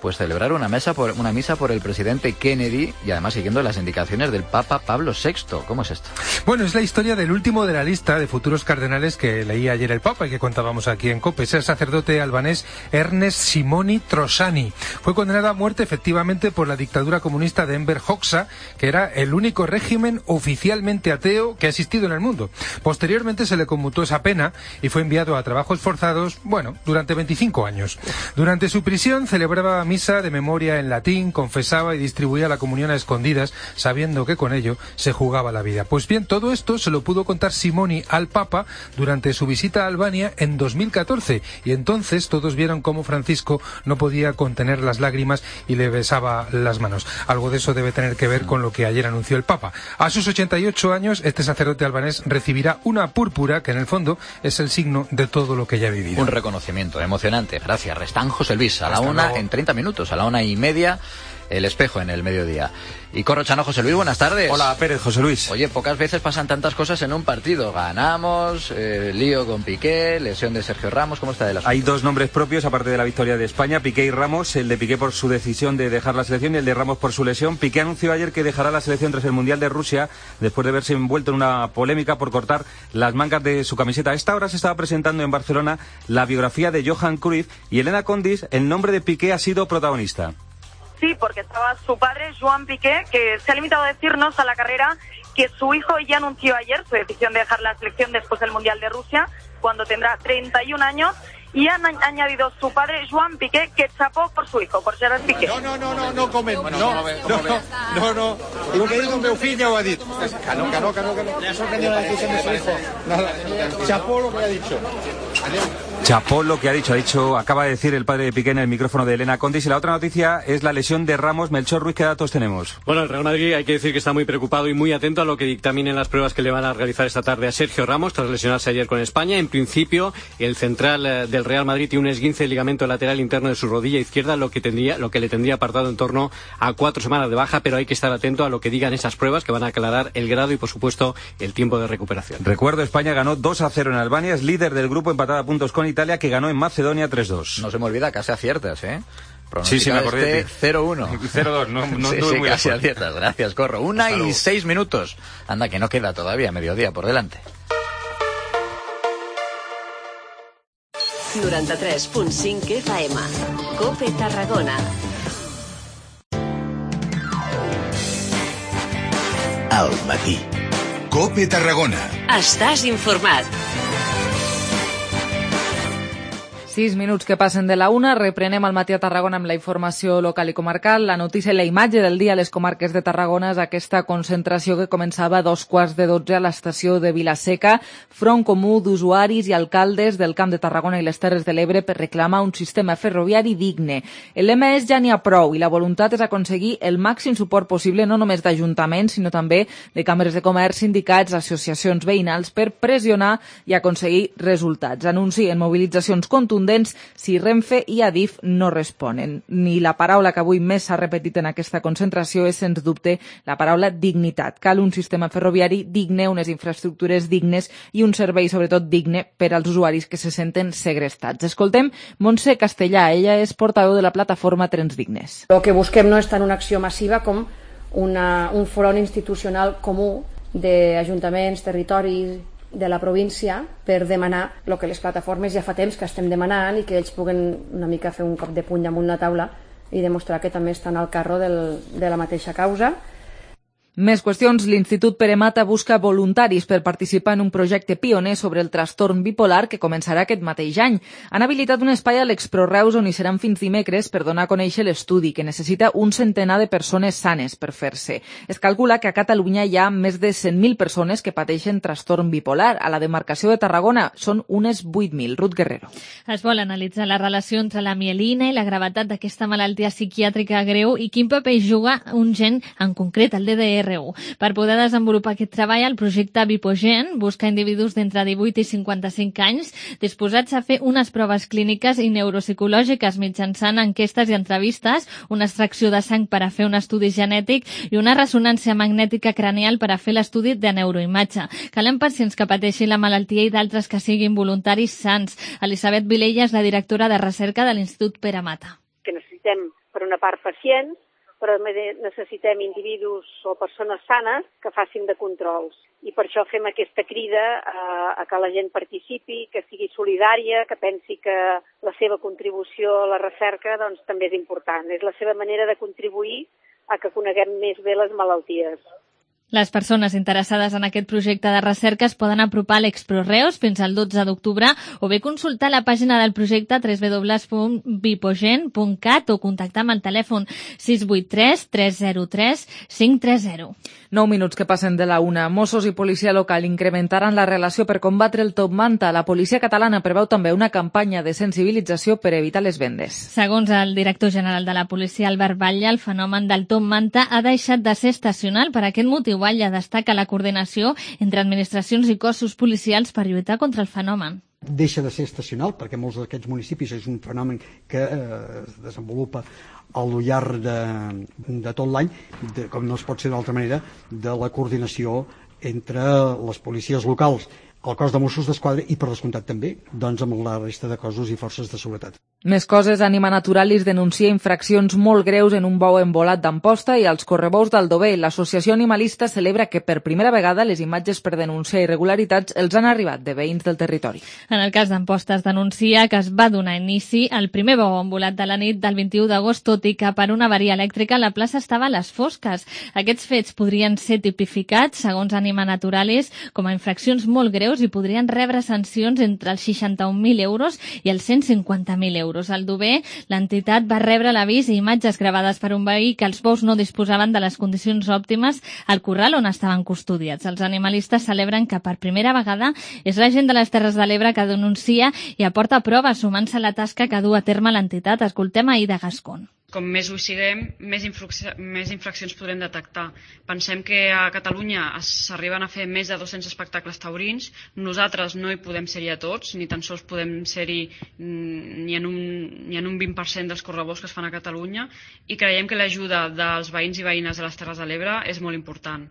pues celebrar una mesa por una misa por el presidente Kennedy y además siguiendo las indicaciones del Papa Pablo sexto. ¿Cómo es esto? Bueno, es la historia del último de la lista de futuros cardenales que leía ayer el Papa y que contábamos aquí en COPE. Es el sacerdote albanés Ernest Simoni Trosani. Fue condenado a muerte efectivamente por la dictadura comunista de Enver Hoxha, que era el único régimen oficialmente ateo que ha existido en el mundo. Posteriormente se le conmutó esa pena y fue enviado a trabajos forzados, bueno, durante veinticinco años. Durante su prisión celebraba misa de memoria en latín, confesaba y distribuía la comunión a escondidas, sabiendo que con ello se jugaba la vida. Pues bien, todo esto se lo pudo contar Simoni al Papa durante su visita a Albania en dos mil catorce, y entonces todos vieron cómo Francisco no podía contener las lágrimas y le besaba las manos. Algo de eso debe tener que ver con lo que ayer anunció el Papa. A sus ochenta y ocho años, este sacerdote albanés recibirá una púrpura que en el fondo es el signo de todo lo que ya ha vivido. Un reconocimiento emocionante. Gracias, Restán. José Luis, a la Hasta una luego. en treinta minutos, a la una y media, El Espejo en el mediodía. Y Corrochano, José Luis, buenas tardes. Hola, Pérez, José Luis. Oye, pocas veces pasan tantas cosas en un partido. Ganamos, eh, lío con Piqué, lesión de Sergio Ramos. ¿Cómo está el asunto? Hay dos nombres propios, aparte de la victoria de España, Piqué y Ramos. El de Piqué por su decisión de dejar la selección y el de Ramos por su lesión. Piqué anunció ayer que dejará la selección tras el Mundial de Rusia, después de verse envuelto en una polémica por cortar las mangas de su camiseta. A esta hora se estaba presentando en Barcelona la biografía de Johan Cruyff y Elena Condis, el nombre de Piqué ha sido protagonista. Sí, porque estaba su padre, Joan Piqué, que se ha limitado a decirnos a la carrera que su hijo ya anunció ayer su decisión de dejar la selección después del Mundial de Rusia, cuando tendrá treinta y un años, y han añadido su padre, Joan Piqué, que chapó por su hijo, por Gerard Piqué. No, no, no, no, no comen, bueno, no, no, no, no, no, lo que digo meu fill ja ho ha dit. Que no, que no, que no, que no. Le ha sorprendido la decisión de su hijo. Nada, chapó lo que ha dicho. Chapó lo que ha dicho, ha dicho, acaba de decir el padre de Piqué en el micrófono de Elena Condis. Y la otra noticia es la lesión de Ramos. Melchor Ruiz, ¿qué datos tenemos? Bueno, el Real Madrid hay que decir que está muy preocupado y muy atento a lo que dictaminen las pruebas que le van a realizar esta tarde a Sergio Ramos tras lesionarse ayer con España. En principio, el central eh, del Real Madrid tiene un esguince del ligamento lateral interno de su rodilla izquierda, lo que tendría, lo que le tendría apartado en torno a cuatro semanas de baja, pero hay que estar atento a lo que digan esas pruebas que van a aclarar el grado y, por supuesto, el tiempo de recuperación. Recuerdo, España ganó dos a cero en Albania, es líder del grupo, empatada a puntos con Italia, que ganó en Macedonia tres dos. No se me olvida, casi aciertas, ¿eh? Sí, sí, me acordé. Este cero uno. cero dos, no, no, sí, no sí, muy casi lejos. aciertas. Gracias, Corro. Una Hasta y luego. seis minutos. Anda, que no queda todavía mediodía por delante. noranta-tres punt cinc F M. COPE Tarragona. Al matí. COPE Tarragona. Estàs informat. Sis minuts que passen de la una, reprenem al matí a Tarragona amb la informació local i comarcal. La notícia i la imatge del dia a les comarques de Tarragona és aquesta concentració que començava a dos quarts de dotze a l'estació de Vilaseca. Front comú d'usuaris i alcaldes del Camp de Tarragona i les Terres de l'Ebre per reclamar un sistema ferroviari digne. El lema és ja n'hi ha prou i la voluntat és aconseguir el màxim suport possible no només d'ajuntaments, sinó també de càmeres de comerç, sindicats, associacions veïnals per pressionar i aconseguir resultats. Anuncien mobilitzacions contundents contundents si Renfe i Adif no responen. Ni la paraula que avui més s'ha repetit en aquesta concentració és, sens dubte, la paraula dignitat. Cal un sistema ferroviari digne, unes infraestructures dignes i un servei, sobretot, digne per als usuaris que se senten segrestats. Escoltem Montse Castellà, ella és portaveu de la plataforma Trens Dignes. El que busquem no és tant una acció massiva com una, un front institucional comú d'ajuntaments, territoris de la província per demanar el que les plataformes ja fa temps que estem demanant i que ells puguen una mica fer un cop de puny damunt la taula i demostrar que també estan al carro del, de la mateixa causa. Més qüestions. L'Institut Pere Mata busca voluntaris per participar en un projecte pioner sobre el trastorn bipolar que començarà aquest mateix any. Han habilitat un espai a l'Exproreus on hi seran fins dimecres per donar a conèixer l'estudi, que necessita un centenar de persones sanes per fer-se. Es calcula que a Catalunya hi ha més de cent mil persones que pateixen trastorn bipolar. A la demarcació de Tarragona són unes vuit mil. Ruth Guerrero. Es vol analitzar la relació entre la mielina i la gravetat d'aquesta malaltia psiquiàtrica greu i quin paper juga un gen en concret, el D D R. Per poder desenvolupar aquest treball, el projecte Bipogen busca individus d'entre divuit i cinquanta-cinc anys disposats a fer unes proves clíniques i neuropsicològiques mitjançant enquestes i entrevistes, una extracció de sang per a fer un estudi genètic i una ressonància magnètica cranial per a fer l'estudi de neuroimatge. Calen pacients que pateixin la malaltia i d'altres que siguin voluntaris sants. Elisabet Vilella és la directora de recerca de l'Institut Pere Mata. Que necessitem, per una part, pacients, però necessitem individus o persones sanes que facin de controls. I per això fem aquesta crida a, a que la gent participi, que sigui solidària, que pensi que la seva contribució a la recerca doncs, també és important. És la seva manera de contribuir a que coneguem més bé les malalties. Les persones interessades en aquest projecte de recerca es poden apropar a l'Exproreus fins al dotze d'octubre o bé consultar la pàgina del projecte w w w punt bipogen punt cat o contactar amb el telèfon sis vuit tres tres zero tres cinc tres zero. Nou minuts que passen de la una. Mossos i policia local incrementaran la relació per combatre el top manta. La policia catalana preveu també una campanya de sensibilització per evitar les vendes. Segons el director general de la policia, Albert Batlle, el fenomen del top manta ha deixat de ser estacional. Per aquest motiu, Batlle destaca la coordinació entre administracions i cossos policials per lluitar contra el fenomen. Deixa de ser estacional perquè molts d'aquests municipis és un fenomen que eh, es desenvolupa al llarg de, de tot l'any, com no es pot ser d'altra manera, de la coordinació entre les policies locals, el cos de Mossos d'Esquadra i, per descomptat també, doncs amb la resta de cossos i forces de seguretat. Més coses. Anima Naturalis denuncia infraccions molt greus en un bou embolat d'Amposta i als correbous d'Aldover. L'associació animalista celebra que per primera vegada les imatges per denunciar irregularitats els han arribat de veïns del territori. En el cas d'Amposta es denuncia que es va donar inici al primer bou embolat de la nit del vint-i-u d'agost, tot i que per una avaria elèctrica la plaça estava a les fosques. Aquests fets podrien ser tipificats, segons Anima Naturalis, com a infraccions molt greus i podrien rebre sancions entre els seixanta-un mil euros i els cent cinquanta mil euros. Al Dover, l'entitat va rebre l'avís i imatges gravades per un veí que els bous no disposaven de les condicions òptimes al corral on estaven custodiats. Els animalistes celebren que per primera vegada és la gent de les Terres de l'Ebre que denuncia i aporta proves sumant-se a la tasca que du a terme l'entitat. Escoltem a Ida Gascon. Com més ho siguem, més, més infraccions podrem detectar. Pensem que a Catalunya s'arriben a fer més de dos-cents espectacles taurins. Nosaltres no hi podem ser-hi a tots, ni tan sols podem ser-hi ni en un, ni en un vint per cent dels correbous que es fan a Catalunya, i creiem que l'ajuda dels veïns i veïnes de les Terres de l'Ebre és molt important.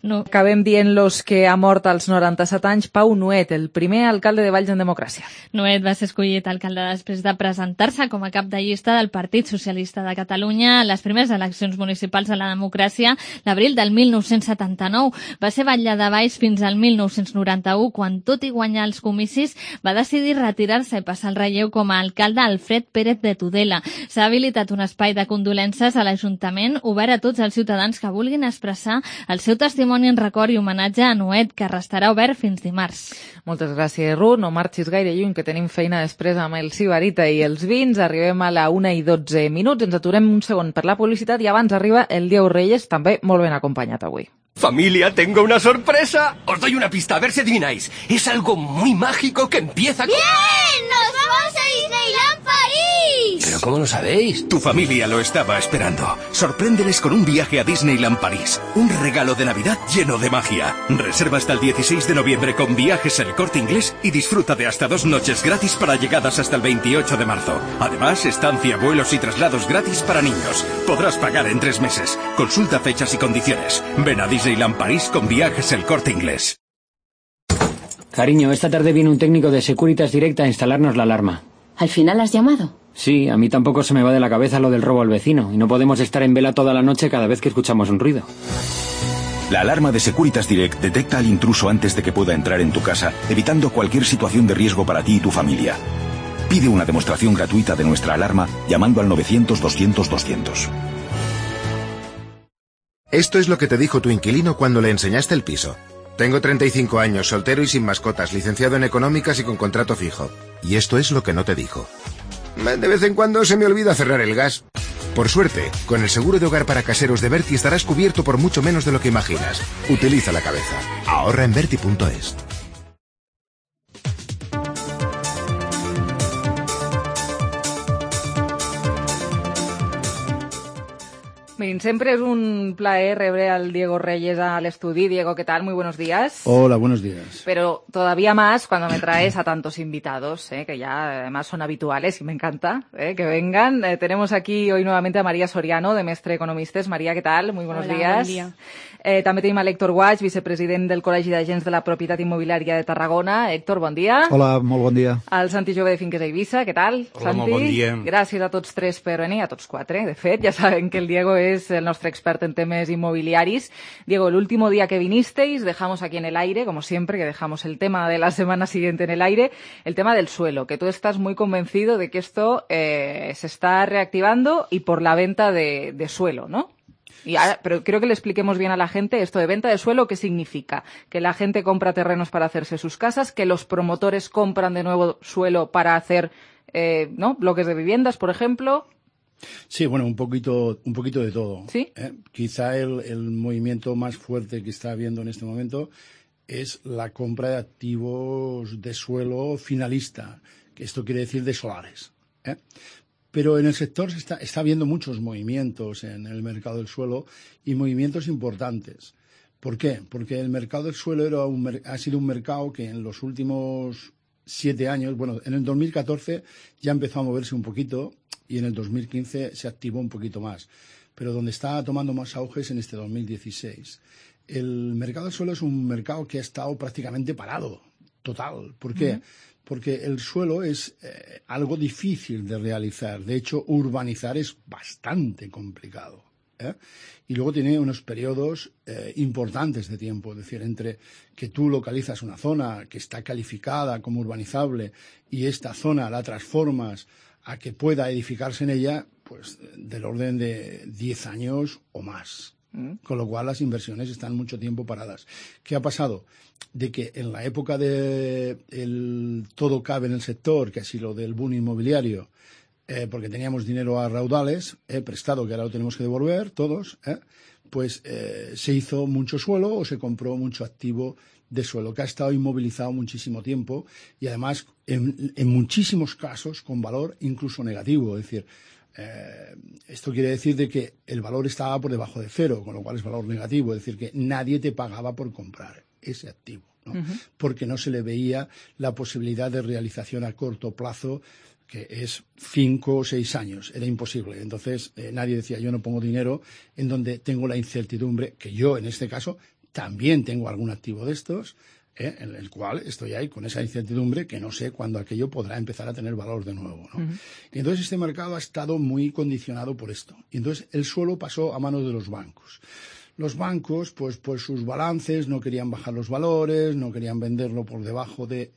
No. Acabem dient-los que ha mort als noranta-set anys Pau Nuet, el primer alcalde de Valls en democràcia. Nuet va ser escollit alcalde després de presentar-se com a cap de llista del Partit Socialista de Catalunya a les primeres eleccions municipals de la democràcia l'abril del mil nou-cents setanta-nou. Va ser batlle de Valls fins al mil nou-cents noranta-u, quan, tot i guanyar els comicis, va decidir retirar-se i passar el relleu com a alcalde Alfred Pérez de Tudela. S'ha habilitat un espai de condolences a l'Ajuntament obert a tots els ciutadans que vulguin expressar el seu testimoni en record i homenatge a Nuet, que restarà obert fins dimarts. Moltes gràcies, Ruth. No marxis gaire lluny, que tenim feina després amb el Sibarita i els vins. Arribem a la una i dotze minuts. Ens aturem un segon per la publicitat i abans arriba el Diego Reyes, també molt ben acompanyat avui. Familia, tengo una sorpresa. Os doy una pista, a ver si adivináis. Es algo muy mágico que empieza con... ¡Bien! ¡Nos vamos a Disneyland París! ¿Pero ¿Pero cómo lo sabéis? Tu familia lo estaba esperando. Sorpréndeles con un viaje a Disneyland París. Un regalo de Navidad lleno de magia. Reserva hasta el dieciséis de noviembre con Viajes El Corte Inglés y disfruta de hasta dos noches gratis para llegadas hasta el veintiocho de marzo. Además, estancia, vuelos y traslados gratis para niños. Podrás pagar en tres meses. Consulta fechas y condiciones. Ven a Disneyland París con Viajes El Corte Inglés. Cariño, esta tarde viene un técnico de Securitas Direct a instalarnos la alarma. ¿Al final has llamado? Sí, a mí tampoco se me va de la cabeza lo del robo al vecino y no podemos estar en vela toda la noche cada vez que escuchamos un ruido. La alarma de Securitas Direct detecta al intruso antes de que pueda entrar en tu casa, evitando cualquier situación de riesgo para ti y tu familia. Pide una demostración gratuita de nuestra alarma llamando al novecientos doscientos doscientos. Esto es lo que te dijo tu inquilino cuando le enseñaste el piso. Tengo treinta y cinco años, soltero y sin mascotas, licenciado en económicas y con contrato fijo. Y esto es lo que no te dijo. De vez en cuando se me olvida cerrar el gas. Por suerte, con el seguro de hogar para caseros de Berti estarás cubierto por mucho menos de lo que imaginas. Utiliza la cabeza. Ahorra en Berti punto es. Bien, siempre es un placer rebre al Diego Reyes al estudio. Diego, ¿qué tal? Muy buenos días. Hola, buenos días. Pero todavía más cuando me traes a tantos invitados, ¿eh? Que ya además son habituales y me encanta ¿eh? que vengan. Eh, tenemos aquí hoy nuevamente a María Soriano, de Mestre Economistes. María, ¿qué tal? Muy buenos Hola, días. Buen dia. Eh, també tenim a l'Héctor Guaig, vicepresident del Col·legi d'Agents de la Propietat Immobiliària de Tarragona. Héctor, bon dia. Hola, molt bon dia. El Santi Jove de Finques a Eivissa, què tal? Hola, Santi? molt bon dia. Gràcies a tots tres per venir, a tots quatre, de fet. Ja saben que el Diego és el nostre expert en temes inmobiliaris. Diego, el último día que vinisteis, dejamos aquí en el aire, como siempre, que dejamos el tema de la semana siguiente en el aire, el tema del suelo, que tú estás muy convencido de que esto eh, se está reactivando y por la venta de, de suelo, ¿no? Y ahora, pero creo que le expliquemos bien a la gente esto de venta de suelo, ¿qué significa? Que la gente compra terrenos para hacerse sus casas, que los promotores compran de nuevo suelo para hacer eh, ¿no? bloques de viviendas, por ejemplo. Sí, bueno, un poquito, un poquito de todo. ¿Sí? ¿eh? Quizá el, el movimiento más fuerte que está habiendo en este momento es la compra de activos de suelo finalista, que esto quiere decir de solares. ¿eh? Pero en el sector se está, está habiendo muchos movimientos en el mercado del suelo y movimientos importantes. ¿Por qué? Porque el mercado del suelo era un, ha sido un mercado que en los últimos siete años, bueno, en el dos mil catorce ya empezó a moverse un poquito y en el dos mil quince se activó un poquito más. Pero donde está tomando más auge es en este dos mil dieciséis. El mercado del suelo es un mercado que ha estado prácticamente parado, total. ¿Por qué? Uh-huh. Porque el suelo es eh, algo difícil de realizar. De hecho, urbanizar es bastante complicado. ¿eh? Y luego tiene unos periodos eh, importantes de tiempo. Es decir, entre que tú localizas una zona que está calificada como urbanizable y esta zona la transformas a que pueda edificarse en ella, pues del orden de diez años o más. ¿Mm? Con lo cual las inversiones están mucho tiempo paradas. ¿Qué ha pasado? De que en la época de el todo cabe en el sector, que ha sido del boom inmobiliario, eh, porque teníamos dinero a raudales, eh, prestado, que ahora lo tenemos que devolver todos, eh, pues eh, se hizo mucho suelo o se compró mucho activo de suelo, que ha estado inmovilizado muchísimo tiempo y además en, en muchísimos casos con valor incluso negativo. Es decir, eh, esto quiere decir de que el valor estaba por debajo de cero, con lo cual es valor negativo. Es decir, que nadie te pagaba por comprar ese activo, ¿no? Uh-huh. Porque no se le veía la posibilidad de realización a corto plazo, que es cinco o seis años. Era imposible. Entonces, eh, nadie decía, yo no pongo dinero en donde tengo la incertidumbre, que yo, en este caso, también tengo algún activo de estos, ¿eh? en el cual estoy ahí con esa incertidumbre que no sé cuándo aquello podrá empezar a tener valor de nuevo, ¿no? Uh-huh. Y entonces este mercado ha estado muy condicionado por esto. Y entonces el suelo pasó a manos de los bancos. Los bancos, pues, pues sus balances no querían bajar los valores, no querían venderlo por debajo de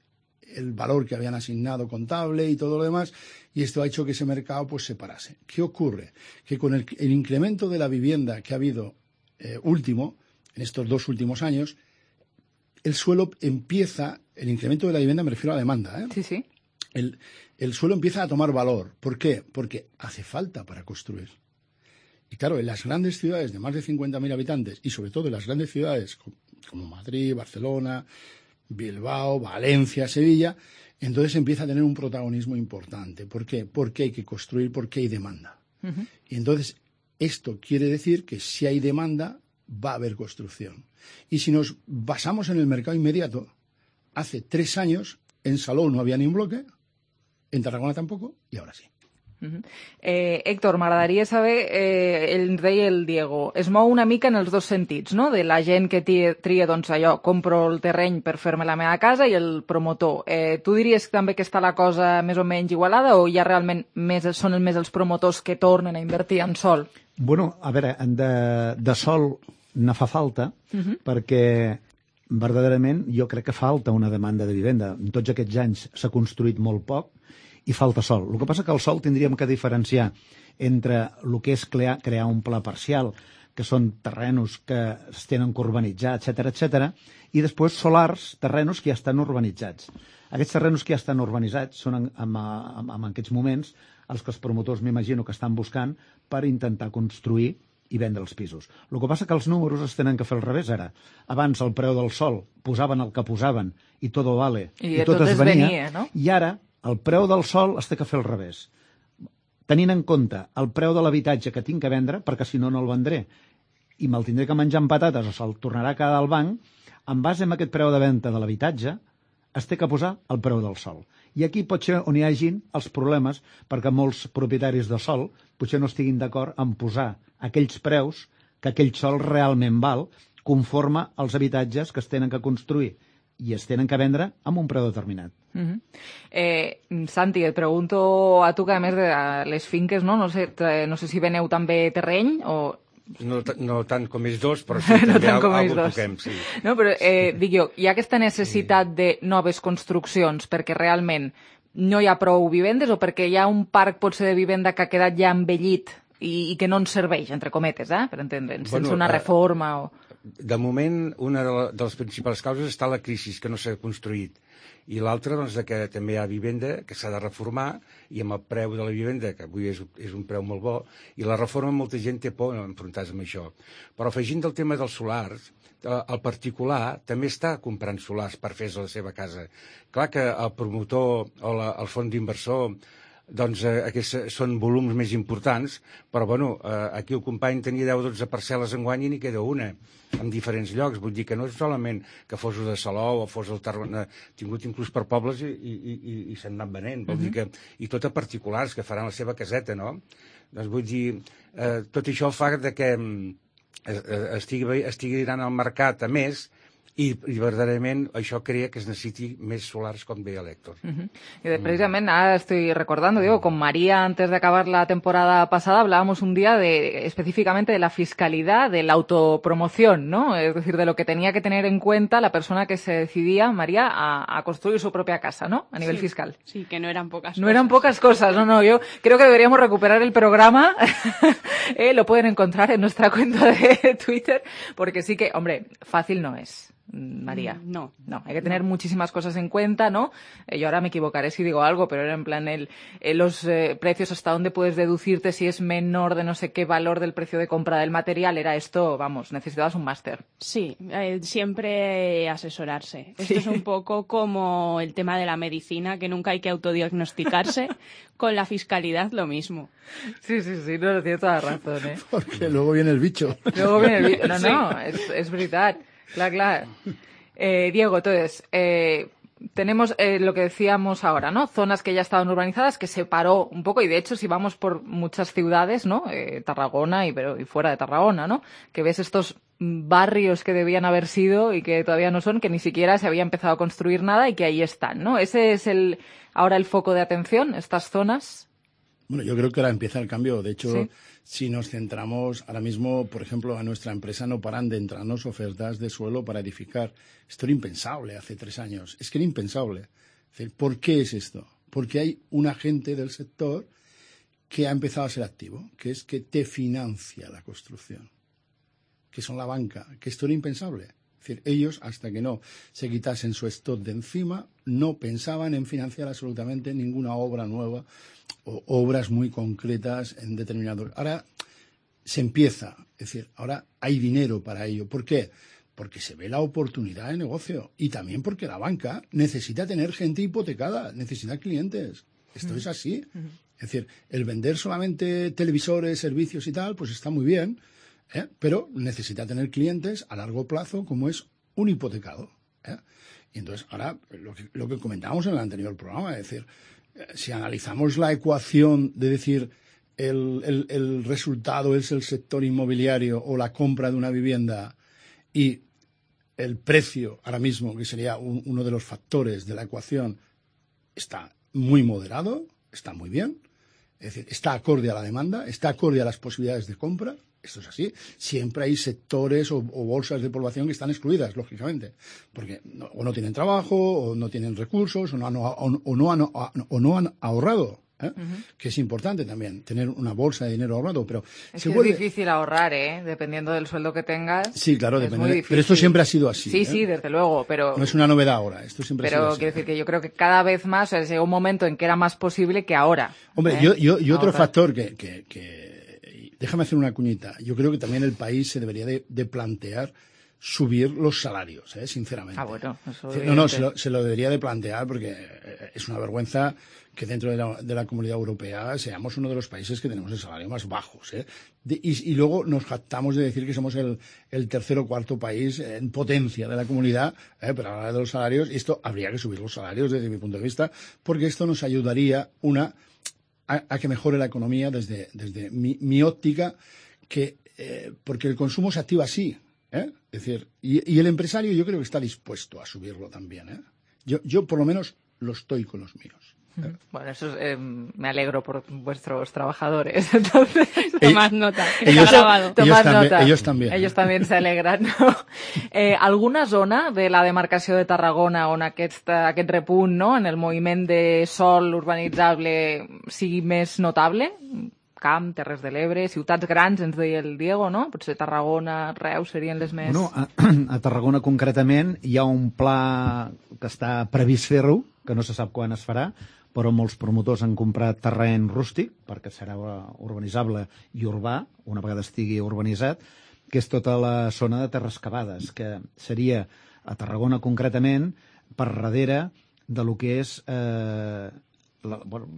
el valor que habían asignado contable y todo lo demás, y esto ha hecho que ese mercado pues se parase. ¿Qué ocurre? Que con el, el incremento de la vivienda que ha habido eh, último, en estos dos últimos años, el suelo empieza, el incremento de la vivienda me refiero a la demanda, ¿eh? Sí, sí. El, el suelo empieza a tomar valor. ¿Por qué? Porque hace falta para construir. Y claro, en las grandes ciudades de más de cincuenta mil habitantes, y sobre todo en las grandes ciudades como Madrid, Barcelona, Bilbao, Valencia, Sevilla, Entonces empieza a tener un protagonismo importante. ¿Por qué? Porque hay que construir, porque hay demanda. Uh-huh. Y entonces esto quiere decir que si hay demanda, va a haber construcción. Y si nos basamos en el mercado inmediato, hace tres años en Salou no había ni un bloque, en Tarragona tampoco, y ahora sí. Uh-huh. eh, Héctor, m'agradaria saber, eh, el deia el Diego, es mou una mica en els dos sentits, no? De la gent que tria, tria doncs allò, compro el terreny per fer-me la meva casa i el promotor. Eh, tu diries també que està la cosa més o menys igualada o ja realment més, són més els promotors que tornen a invertir en sol? Bueno, a veure, de, de sol ne fa falta, uh-huh. perquè verdaderament jo crec que falta una demanda de vivenda. En tots aquests anys s'ha construït molt poc i falta sol. El que passa que el sol tindríem que diferenciar entre el que és crear, crear un pla parcial, que són terrenos que es tenen que urbanitzar, etcètera, etcètera, i després solars, terrenos que ja estan urbanitzats. Aquests terrenos que ja estan urbanitzats són en, en, en, en aquests moments els que els promotors m'imagino que estan buscant per intentar construir i vendre els pisos. El que passa que els números es tenen que fer al revés ara. Abans el preu del sol posaven el que posaven i tot vale, i, i tot es venia, venia no? I ara el preu del sol es té que fer al revés. Tenint en compte el preu de l'habitatge que tinc que vendre, perquè si no, no el vendré, i me'l tindré que menjar amb patates o se'l tornarà a quedar al banc, en base a aquest preu de venda de l'habitatge, es té que posar el preu del sol. I aquí pot ser on hi hagin els problemes, perquè molts propietaris de sol potser no estiguin d'acord en posar aquells preus que aquell sol realment val, conforme als habitatges que es tenen que construir i es tenen que vendre amb un preu determinat. Uh-huh. eh, Santi, et pregunto a tu que a més de les finques, no, no, sé, no sé si veneu també terreny o... No, no tant com ells dos, però sí, no també algo toquem, sí. No, però eh, dic jo, hi ha aquesta necessitat sí. de noves construccions perquè realment no hi ha prou vivendes o perquè hi ha un parc potser de vivenda que ha quedat ja envellit i, i que no ens serveix, entre cometes, eh, per entendre'ns, bueno, sense una reforma o... De moment, una de les principals causes està la crisi, que no s'ha construït. I l'altra, doncs, que també hi ha vivenda que s'ha de reformar i amb el preu de la vivenda, que avui és, és un preu molt bo, i la reforma molta gent té por enfrontar-se amb això. Però afegint del tema dels solars, el particular també està comprant solars per fer a la seva casa. Clar que el promotor o la, el fons d'inversor doncs eh, aquests són volums més importants, però bueno, eh, aquí el company tenia deu o dotze parcel·les enguany i n'hi queda una, en diferents llocs. Vull dir que no és solament que fos de Salou o fos el Tarragona, tingut inclús per pobles i, i, i, i s'han anat venent. Vol uh-huh. dir que, i tot a particulars que faran la seva caseta, no? Doncs vull dir, eh, tot això fa de que eh, estigui, estigui anant al mercat a més. I, i verdaderament això crea que es necessiti més solars, com deia l'Héctor. Uh-huh. Y precisamente, ahora estoy recordando, digo, con María, antes de acabar la temporada pasada, hablábamos un día de específicamente de la fiscalidad, de la autopromoción, ¿no? Es decir, de lo que tenía que tener en cuenta la persona que se decidía, María, a, a construir su propia casa, ¿no? A nivel sí, fiscal. Sí, que no eran pocas no cosas. No eran pocas cosas, no, no, yo creo que deberíamos recuperar el programa, eh, lo pueden encontrar en nuestra cuenta de Twitter, porque sí que, hombre, fácil no es. María. No. No, hay que tener no. muchísimas cosas en cuenta, ¿no? Eh, yo ahora me equivocaré si digo algo, pero era en plan el, eh, los eh, precios, hasta dónde puedes deducirte si es menor de no sé qué valor del precio de compra del material. Era esto, vamos, necesitabas un máster. Sí, eh, siempre asesorarse. Esto sí. Es un poco como el tema de la medicina, que nunca hay que autodiagnosticarse. Con la fiscalidad lo mismo. Sí, sí, sí, no, tiene toda la razón, ¿eh? Porque luego viene el bicho. Luego viene el bicho. No, no, es, es verdad. Claro, claro. Eh, Diego, entonces, eh, tenemos eh, lo que decíamos ahora, ¿no? Zonas que ya estaban urbanizadas, que se paró un poco, y de hecho, si vamos por muchas ciudades, ¿no? Eh, Tarragona y, pero, y fuera de Tarragona, ¿no? Que ves estos barrios que debían haber sido y que todavía no son, que ni siquiera se había empezado a construir nada y que ahí están, ¿no? Ese es el ahora el foco de atención, estas zonas. Bueno, yo creo que ahora empieza el cambio. De hecho, sí. Si nos centramos ahora mismo, por ejemplo, a nuestra empresa no paran de entrarnos ofertas de suelo para edificar. Esto era impensable hace tres años. Es que era impensable. Es decir, ¿por qué es esto? Porque hay un agente del sector que ha empezado a ser activo, que es que te financia la construcción, que son la banca, que esto era impensable. Es decir, ellos, hasta que no se quitasen su stock de encima, no pensaban en financiar absolutamente ninguna obra nueva o obras muy concretas en determinados... Ahora se empieza, es decir, ahora hay dinero para ello. ¿Por qué? porque se ve la oportunidad de negocio y también porque la banca necesita tener gente hipotecada, necesita clientes. Esto mm. es así. Mm. Es decir, el vender solamente televisores, servicios y tal, pues está muy bien, ¿eh? Pero necesita tener clientes a largo plazo como es un hipotecado, ¿eh? Y entonces, ahora, lo que, lo que comentábamos en el anterior programa, es decir, eh, si analizamos la ecuación de decir el, el, el resultado es el sector inmobiliario o la compra de una vivienda y el precio ahora mismo, que sería un, uno de los factores de la ecuación, está muy moderado, está muy bien, es decir, está acorde a la demanda, está acorde a las posibilidades de compra. Esto es así. Siempre hay sectores o, o bolsas de población que están excluidas, lógicamente, porque no, o no tienen trabajo, o no tienen recursos, o no han, o, o no, han, o no han ahorrado, ¿eh? Uh-huh. Que es importante también, tener una bolsa de dinero ahorrado. Pero es se que vuelve... es difícil ahorrar, ¿eh? Dependiendo del sueldo que tengas. Sí, claro, depende. De... Pero esto siempre ha sido así. Sí, ¿eh? sí, desde luego, pero... No es una novedad ahora, esto siempre pero ha sido así. Pero quiero decir que yo creo que cada vez más, o sea, llegó un momento en que era más posible que ahora. Hombre, ¿eh? yo, yo, y otro ahorrar. factor que... que, que... Déjame hacer una cuñita. Yo creo que también el país se debería de, de plantear subir los salarios, ¿eh? Sinceramente. Ah, bueno, eso No, no, se lo, se lo debería de plantear porque es una vergüenza que dentro de la, de la Comunidad Europea seamos uno de los países que tenemos el salario más bajos, ¿eh? De, y, y luego nos jactamos de decir que somos el, el tercer o cuarto país en potencia de la comunidad, ¿eh? Pero a la hora de los salarios, y esto habría que subir los salarios desde mi punto de vista, porque esto nos ayudaría una... A, a que mejore la economía desde, desde mi, mi óptica, que eh, porque el consumo se activa así, ¿eh? Es decir, y, y el empresario yo creo que está dispuesto a subirlo también, ¿eh? Yo, yo por lo menos lo estoy con los míos. ¿eh? Bueno, eso es, eh, me alegro por vuestros trabajadores. Entonces, tomad nota, que ellos, está grabado. Ellos, tomad también, nota. ellos también. Ellos també se alegren, no? Eh, alguna zona de la demarcació de Tarragona on aquest, aquest repunt, no?, en el moviment de sòl urbanitzable sigui més notable? Camp, Terres de l'Ebre, ciutats grans, ens deia el Diego, no? Potser Tarragona, Reus serien les més... Bueno, a, a Tarragona concretament hi ha un pla que està previst fer-ho, que no se sap quan es farà, però molts promotors han comprat terreny rústic, perquè serà urbanitzable i urbà, una vegada estigui urbanitzat, que és tota la zona de terres cavades, que seria a Tarragona concretament, per darrere de lo que és... Eh, la, bueno,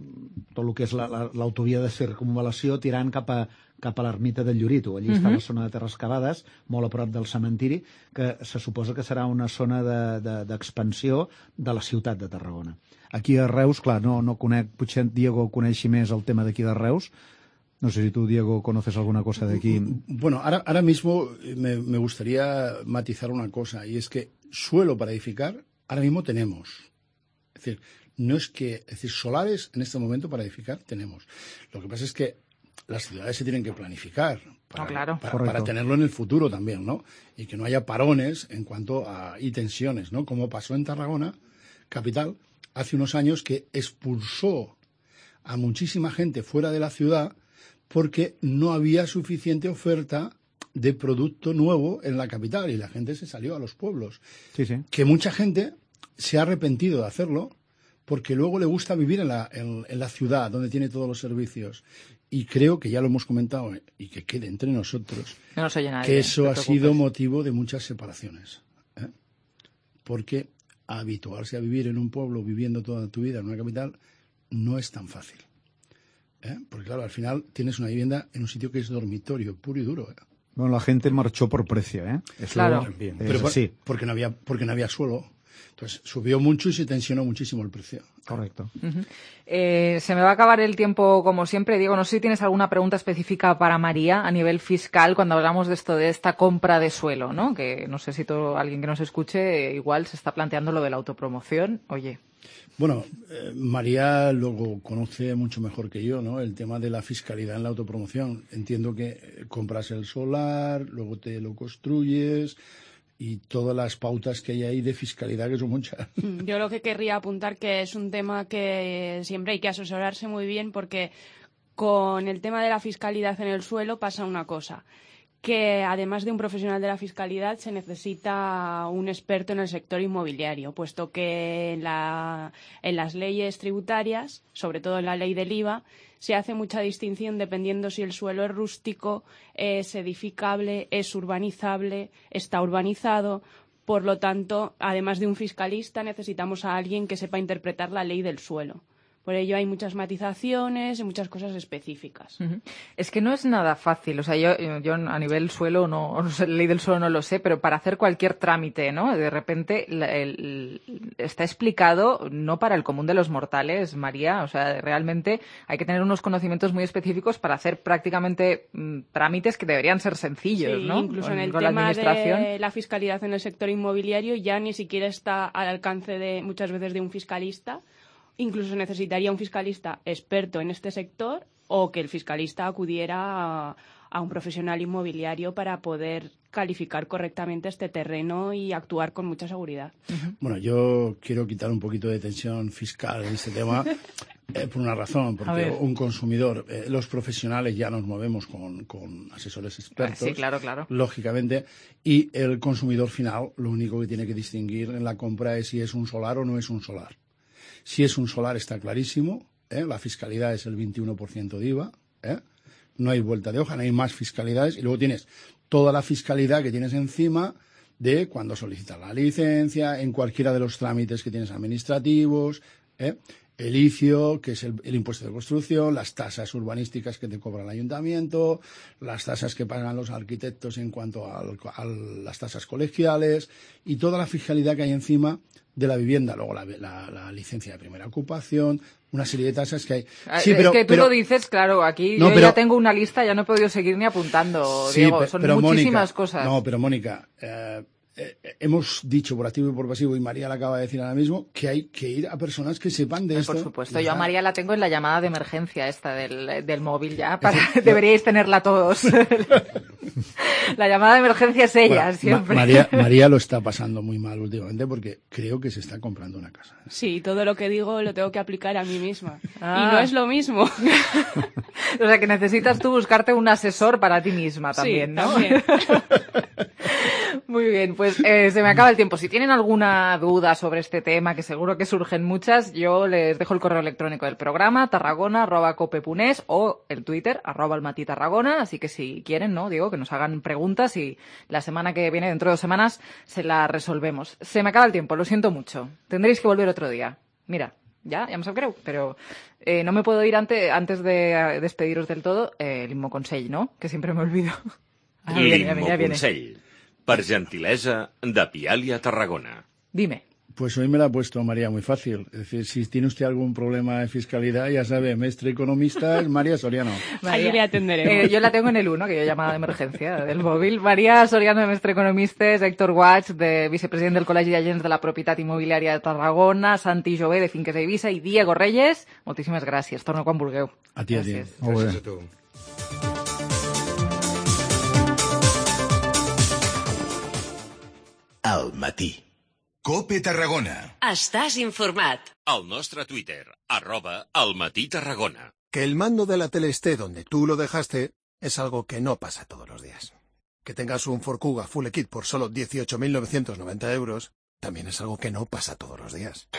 tot el que és l'autovia la, la, de circunvalació tirant cap a, cap a l'ermita del Llorito. Allí uh-huh. està la zona de terres cavades, molt a prop del cementiri, que se suposa que serà una zona d'expansió de, de, de la ciutat de Tarragona. Aquí a Reus, clar, no, no conec, potser Diego coneixi més el tema d'aquí de Reus. No sé si tú, Diego, conoces alguna cosa de aquí. Bueno, ahora, ahora mismo me, me gustaría matizar una cosa, y es que suelo para edificar, ahora mismo tenemos. Es decir, no es que, es decir, solares en este momento para edificar tenemos. Lo que pasa es que las ciudades se tienen que planificar para, no, claro. para, para tenerlo en el futuro también, ¿no? Y que no haya parones en cuanto a y tensiones, ¿no? Como pasó en Tarragona, capital, hace unos años, que expulsó a muchísima gente fuera de la ciudad porque no había suficiente oferta de producto nuevo en la capital y la gente se salió a los pueblos. Sí, sí. Que mucha gente se ha arrepentido de hacerlo porque luego le gusta vivir en la, en, en la ciudad donde tiene todos los servicios. Y creo que ya lo hemos comentado y que quede entre nosotros no nos oye nadie, que eso no ha preocupes. sido motivo de muchas separaciones, ¿eh? Porque habituarse a vivir en un pueblo viviendo toda tu vida en una capital no es tan fácil, ¿eh? Porque claro, al final tienes una vivienda en un sitio que es dormitorio puro y duro, ¿eh? Bueno, la gente marchó por precio, ¿eh? Eso claro. Es Pero por, así. porque no había porque no había suelo. Entonces subió mucho y se tensionó muchísimo el precio. Correcto. Uh-huh. Eh, se me va a acabar el tiempo como siempre. Diego, no sé si tienes alguna pregunta específica para María a nivel fiscal cuando hablamos de esto, de esta compra de suelo, ¿no? Que no sé si todo, alguien que nos escuche eh, igual se está planteando lo de la autopromoción. Oye. Bueno, eh, María luego conoce mucho mejor que yo, ¿no?, el tema de la fiscalidad en la autopromoción. Entiendo que eh, compras el solar, luego te lo construyes y todas las pautas que hay ahí de fiscalidad, que son muchas. Yo lo que querría apuntar que es un tema que siempre hay que asesorarse muy bien, porque con el tema de la fiscalidad en el suelo pasa una cosa, que además de un profesional de la fiscalidad se necesita un experto en el sector inmobiliario, puesto que en, la, en las leyes tributarias, sobre todo en la ley del I V A, se hace mucha distinción dependiendo si el suelo es rústico, es edificable, es urbanizable, está urbanizado. Por lo tanto, además de un fiscalista, necesitamos a alguien que sepa interpretar la ley del suelo. Por ello hay muchas matizaciones y muchas cosas específicas. Uh-huh. Es que no es nada fácil. O sea, yo, yo a nivel suelo, no, no sé, ley del suelo no lo sé, pero para hacer cualquier trámite, ¿no? De repente el, el, está explicado no para el común de los mortales, María. O sea, realmente hay que tener unos conocimientos muy específicos para hacer prácticamente mm, trámites que deberían ser sencillos, sí, ¿no? Incluso con, en el con tema la administración. de la fiscalidad en el sector inmobiliario ya ni siquiera está al alcance de muchas veces de un fiscalista. Incluso necesitaría un fiscalista experto en este sector o que el fiscalista acudiera a, a un profesional inmobiliario para poder calificar correctamente este terreno y actuar con mucha seguridad. Uh-huh. Bueno, yo quiero quitar un poquito de tensión fiscal en este tema eh, por una razón, porque un consumidor, eh, los profesionales ya nos movemos con, con asesores expertos, sí, claro, claro. lógicamente, y el consumidor final lo único que tiene que distinguir en la compra es si es un solar o no es un solar. Si es un solar está clarísimo, ¿eh? La fiscalidad es el veintiuno por ciento de I V A, ¿eh? No hay vuelta de hoja, no hay más fiscalidades, y luego tienes toda la fiscalidad que tienes encima de cuando solicitas la licencia, en cualquiera de los trámites que tienes administrativos, ¿eh? El I C I O, que es el, el impuesto de construcción, las tasas urbanísticas que te cobra el ayuntamiento, las tasas que pagan los arquitectos en cuanto a, a las tasas colegiales y toda la fiscalidad que hay encima de la vivienda, luego la, la, la licencia de primera ocupación, una serie de tasas que hay. Sí, es pero, que tú pero, lo dices, claro, aquí no, yo pero, ya tengo una lista, ya no he podido seguir ni apuntando, sí, Diego, son pero, muchísimas Mónica, cosas. No, pero Mónica, eh, eh, hemos dicho por activo y por pasivo, y María le acaba de decir ahora mismo, que hay que ir a personas que sepan de eh, esto. Por supuesto, yo a María la tengo en la llamada de emergencia esta del, del móvil ya, para, es, deberíais tenerla todos. La llamada de emergencia es ella, bueno, siempre. Ma- María, María lo está pasando muy mal últimamente porque creo que se está comprando una casa. Sí, todo lo que digo lo tengo que aplicar a mí misma. Ah. Y no es lo mismo. O sea, que necesitas tú buscarte un asesor para ti misma también, sí, ¿no? También. Muy bien, pues eh, se me acaba el tiempo. Si tienen alguna duda sobre este tema, que seguro que surgen muchas, yo les dejo el correo electrónico del programa, tarragona arroba cope punto es, o el Twitter, arroba almatitarragona, así que si quieren, ¿no? Digo, que nos hagan preguntas y la semana que viene, dentro de dos semanas, se la resolvemos. Se me acaba el tiempo, lo siento mucho. Tendréis que volver otro día. Mira, ya, ya me sap greu, pero eh, no me puedo ir ante, antes de despediros del todo, eh, l'Immo Consell, ¿no? Que siempre me olvido. Ah, L'Immo Consell, per gentilesa de Pialia Tarragona. Dime. Pues hoy me la ha puesto María muy fácil. Es decir, si tiene usted algún problema de fiscalidad, ya sabe, mestre economista es María Soriano. María, ahí le atenderemos. Eh, yo la tengo en el uno, que yo llamada de emergencia del móvil. María Soriano, de mestre economista, Héctor Guach, de vicepresident del Col·legi d'Agents de la Propietat Immobiliària de Tarragona, Santi Jové, de Finques a Eivissa, i Diego Reyes. Moltíssimes gràcies. Torno quan vulgueu. A ti, gràcies. a ti. Gràcies a tu. Al matí. Cope Tarragona. Estàs informat. Al nostre Twitter, arroba almatí-tarragona. Que el mando de la tele esté donde tú lo dejaste es algo que no pasa todos los días. Que tengas un Ford Kuga Full Kit por solo dieciocho mil novecientos noventa euros también es algo que no pasa todos los días.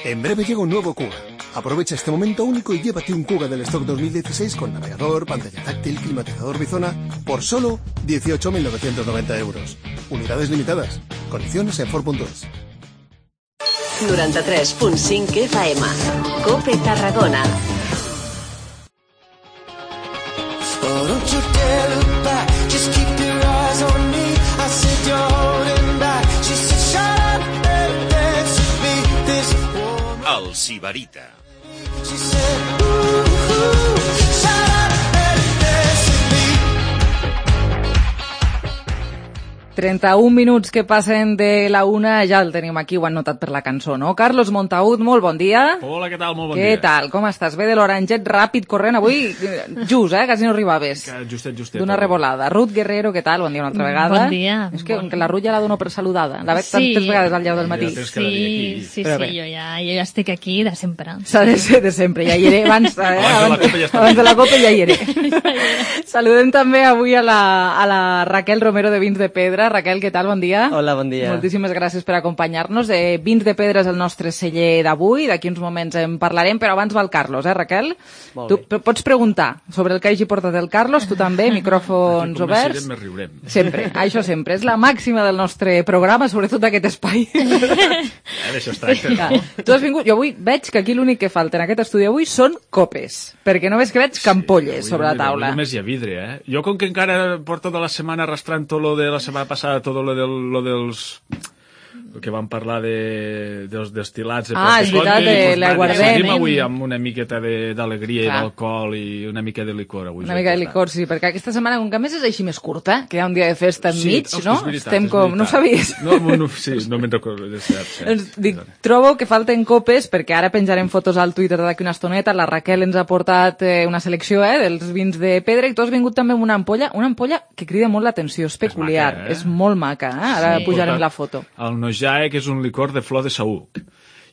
En breve llega un nuevo Kuga. Aprovecha este momento único y llévate un Kuga del stock dos mil dieciséis con navegador, pantalla táctil, climatizador bizona por solo dieciocho mil novecientos noventa euros. Unidades limitadas. Condiciones en Ford punto es. noranta-tres punt cinc F M. Cope Tarragona. Oh, don't you dare look back, just keep your eyes on me. I said you're holding back. She said shut up and dance with me. This woman. El Sibarita. She said ooh, ooh, shut up and dance with me. trenta-un minuts que passen de la una, ja el tenim aquí, ho han notat per la cançó, no? Carlos Montagut, molt bon dia. Hola, què tal? Molt bon Què dia. Què tal? Com estàs? Bé de l'oranget, ràpid, corrent, avui just, eh? Quasi no arribaves. Que justet, justet. D'una revolada. Ruth Guerrero, què tal? Bon dia una altra vegada. Bon dia. És que, bon... que la Ruth ja la dono per saludada. La veig Sí. tantes vegades al llarg del matí. Sí, sí, sí, Però bé. jo ja, jo ja estic aquí de sempre. S'ha de ser de sempre, ja hi era abans, eh? Abans de la Copa ja està. abans de la Copa ja hi era. Saludem també avui a la, a la Raquel Romero de Vins de Pedra. Raquel, què tal? Bon dia. Hola, bon dia. Moltíssimes gràcies per acompanyar-nos. Eh, Vins de Pedra és el nostre celler d'avui, d'aquí uns moments en parlarem, però abans va el Carlos, eh, Raquel? Molt Tu bé. p- pots preguntar sobre el que hagi portat el Carlos, tu també, micròfons Aquí oberts. començarem, més riurem. Sempre, això sempre. És la màxima del nostre programa, sobretot d'aquest espai. Eh, D'això es tracta, Ja. no? Tu has vingut, jo avui veig que aquí l'únic que falta en aquest estudi avui són copes, perquè només que veig campolles sobre la Mira, taula. avui només hi ha vidre, eh? Jo, com que encara porto de la setmana arrastrant tot lo de la setmana passada, tot lo, del, lo dels... el que vam parlar de, dels destilats de Ah, és veritat, de l'aiguardent, Seguim eh? avui amb una miqueta de- d'alegria i Clar. d'alcohol i una mica de licor avui. Una mica de licor, sí, perquè aquesta setmana, com que a més és així més curta, que hi ha un dia de festa enmig, hosti, no? és veritat, Estem és com... No ho veritat. sabies? No, no, sí, no me'n recordo, és cert, cert. Doncs dic, trobo que falten copes, perquè ara penjarem fotos al Twitter d'aquí una estoneta, la Raquel ens ha portat eh, una selecció eh, dels vins de Pedra, i tu has vingut també amb una ampolla, una ampolla que crida molt l'atenció, és peculiar, és, maca, eh? és molt maca, eh? Ara Sí. pujarem la foto. El Nojae, que és un licor de flor de saüc.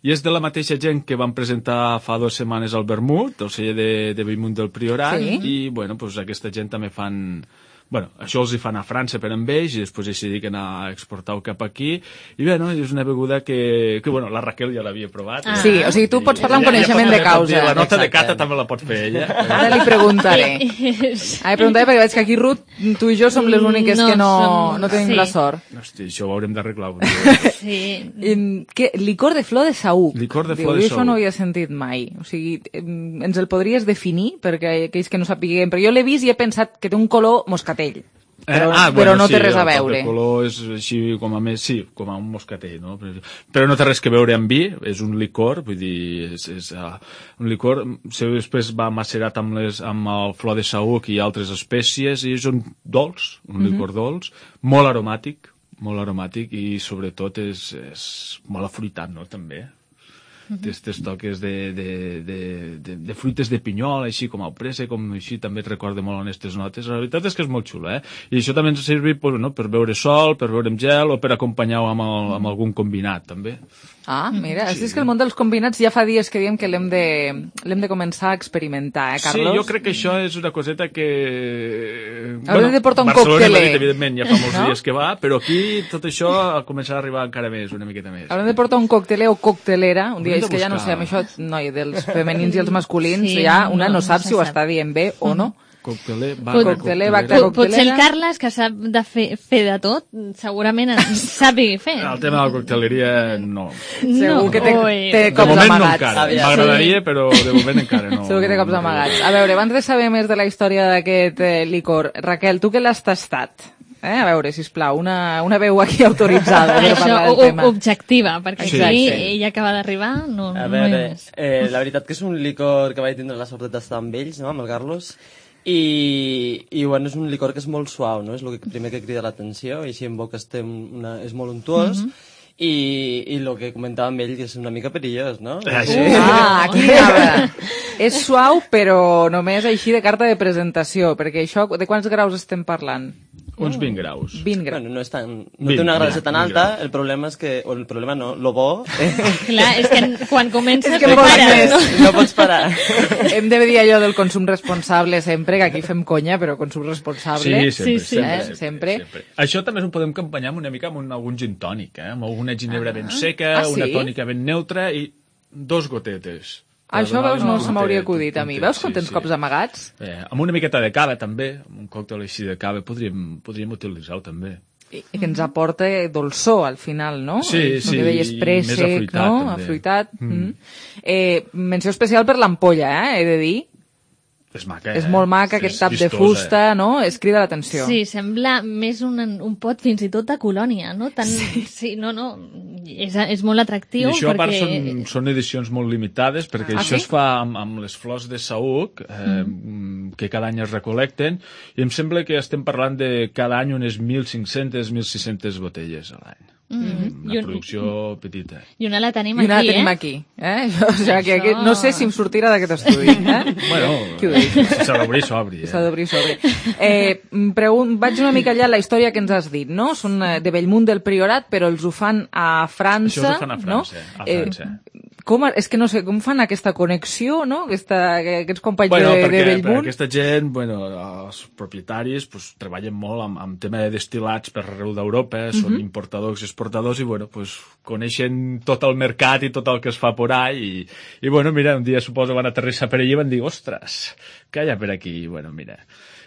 I és de la mateixa gent que van presentar fa dues setmanes el vermut, el celler de, de Bellmunt del Priorat, Sí. i bueno, pues, aquesta gent també fan... Bueno, això els hi fan a França per amb ells i després ells s'hi dediquen a exportar-ho cap aquí. I bé, no, és una beguda que, que bueno, la Raquel ja l'havia provat. Ah. Sí, o sigui, tu pots parlar amb Ja- ja coneixement pot- de ja pot causa. dir, La nota de Exacte. cata també la pot fer ella. Ara li preguntaré. Ara li preguntaré perquè veig que aquí, Ruth, tu i jo som les úniques No que no, som- no tenim sí. la sort. Hosti, això ho haurem d'arreglar. un dia. Sí. Em, què? Licor de flor de saüc. Licor de Diu, flor de jo això no ho saüc. havia sentit mai. O sigui, em, ens el podries definir? Perquè aquells que no sapiguem... Però jo l'he vist i he pensat que té un color moscatell. Però, Eh, ah, però bueno, no sí, té res a el toc veure. de color és així com a més, sí, com a un moscatell, no? Però no té res que veure amb vi, és un licor, vull dir, és, és uh, un licor, si després va macerat amb, les, amb el flor de saüc i altres espècies, i és un dolç, un Mhm. licor dolç, molt aromàtic, molt aromàtic, i sobretot és, és molt afruitat, no?, també. Aquests toques de, de, de, de, de fruites de pinyol, així com el pressa, com així, també et recorda molt en aquestes notes. La veritat és que és molt xulo, eh? I això també ens serveix pues, no, per beure sol, per beure amb gel o per acompanyar-ho amb, el, amb algun combinat, també. Ah, mira, sí. És que el món dels combinats ja fa dies que diem que l'hem de, l'hem de començar a experimentar, eh, Carlos? Sí, jo crec que això és una coseta que... Haurem de portar un Barcelona i cocteler. Madrid, evidentment, ja fa molts No? dies que va, però aquí tot això ha començat a arribar encara més, una miqueta més. Haurem de portar un cocteler o coctelera, un dia Hauríem és de que ja no sé, buscar. amb això, noi, dels femenins i els masculins, Sí, ja una no, no sap no si ho se està dient bé o no. Cocteler, Pot- bacta, Cocteler, coctelera. bacta, Pot- Potser el coctelera. Carles, que sap de fer, fer de tot, segurament en sàpiga fer. El tema de la cocteleria, no. Segur que té, Ui. té De cops moment no amagats. encara. Aviam. M'agradaria, però de moment encara no. Segur que té cops amagats. A veure, abans de saber més de la història d'aquest eh, licor, Raquel, tu que l'has tastat? Eh? A veure, sisplau, una, una veu aquí autoritzada per Això, parlar del o- tema. objectiva, perquè Sí, aquí sí. ella acaba d'arribar, no, A no hi ha veure, més. eh, la veritat que és un licor que vaig tindre la sort de tastar amb ells, no?, amb el Carlos, i, i bueno, és un licor que és molt suau, no?, és el que primer que crida l'atenció, i així en boca estem una, és molt untuós, Mhm. i, i el que comentava amb ell, que és una mica perillós, no? Ah, sí? Ah, aquí anava. És suau, però només així de carta de presentació, perquè això, de quants graus estem parlant? Uns vint graus. vint graus. Bueno, no, és tan, no vint, té una gradació vint, tan vint alta, graus. el problema és que, o el problema no, lo bo, eh, Clar, és que quan comença És que no vols para. més. No? no pots parar. Hem de dir allò del consum responsable sempre, que aquí fem conya, però consum responsable. Sí, sempre, Sí, sí. sempre, Eh, sempre, sempre. sempre. Això també ho podem campanyar amb una mica amb un, algun gin tònic, eh? Amb alguna ginebra ben seca, Ah, sí? una tònica ben neutra i dos gotetes. Per Això, donar veus, no un se m'hauria puntet, acudit a un mi. puntet, Veus com sí, tens sí. cops amagats? Eh, amb una miqueta de cava, també, amb un còctel així de cava, podríem, podríem utilitzar-ho, també. I que ens aporta dolçor al final, no? Sí, El sí, que deies i préssec, més afruitat, no? també. Afruitat. Mm. Mm. Eh, menció especial per l'ampolla, eh, he de dir. És maca, És eh? molt maca, aquest tap de fusta, no? Es crida l'atenció. Sí, sembla més un, un pot fins i tot de colònia, no? Tan, sí. sí, no, no, és, és molt atractiu. I això, perquè... a part, són, són edicions molt limitades, perquè ah, això sí? es fa amb, amb les flors de saüc, eh, mm. que cada any es recolecten, i em sembla que estem parlant de cada any unes mil cinc-centes, mil sis-centes botelles a l'any. Mm-hmm. Una producció petita. I una la tenim I una aquí, la tenim eh? aquí. Eh? O sigui, que aquest, no sé si em sortirà d'aquest estudi. Eh? Bueno, si s'ha d'obrir, s'obri. S'ha d'obrir, s'obri. Eh, pregun- vaig una mica allà a la història que ens has dit, no? Són eh, de Bellmunt del Priorat, però els ho fan a França. Això ho fan a França, no? a França. Eh, com, és que no sé, com fan aquesta connexió, no? Aquesta, aquests companys Bueno, de, perquè, de Bellmunt. aquesta gent, bueno, els propietaris pues, treballen molt amb, amb tema de destil·lats per arreu d'Europa, són Mhm. importadors i exportadors, i bueno, pues, coneixen tot el mercat i tot el que es fa por ahí, i, i bueno, mira, un dia suposo van aterrissar per allí i van dir, ostres, què hi ha per aquí? I bueno, mira...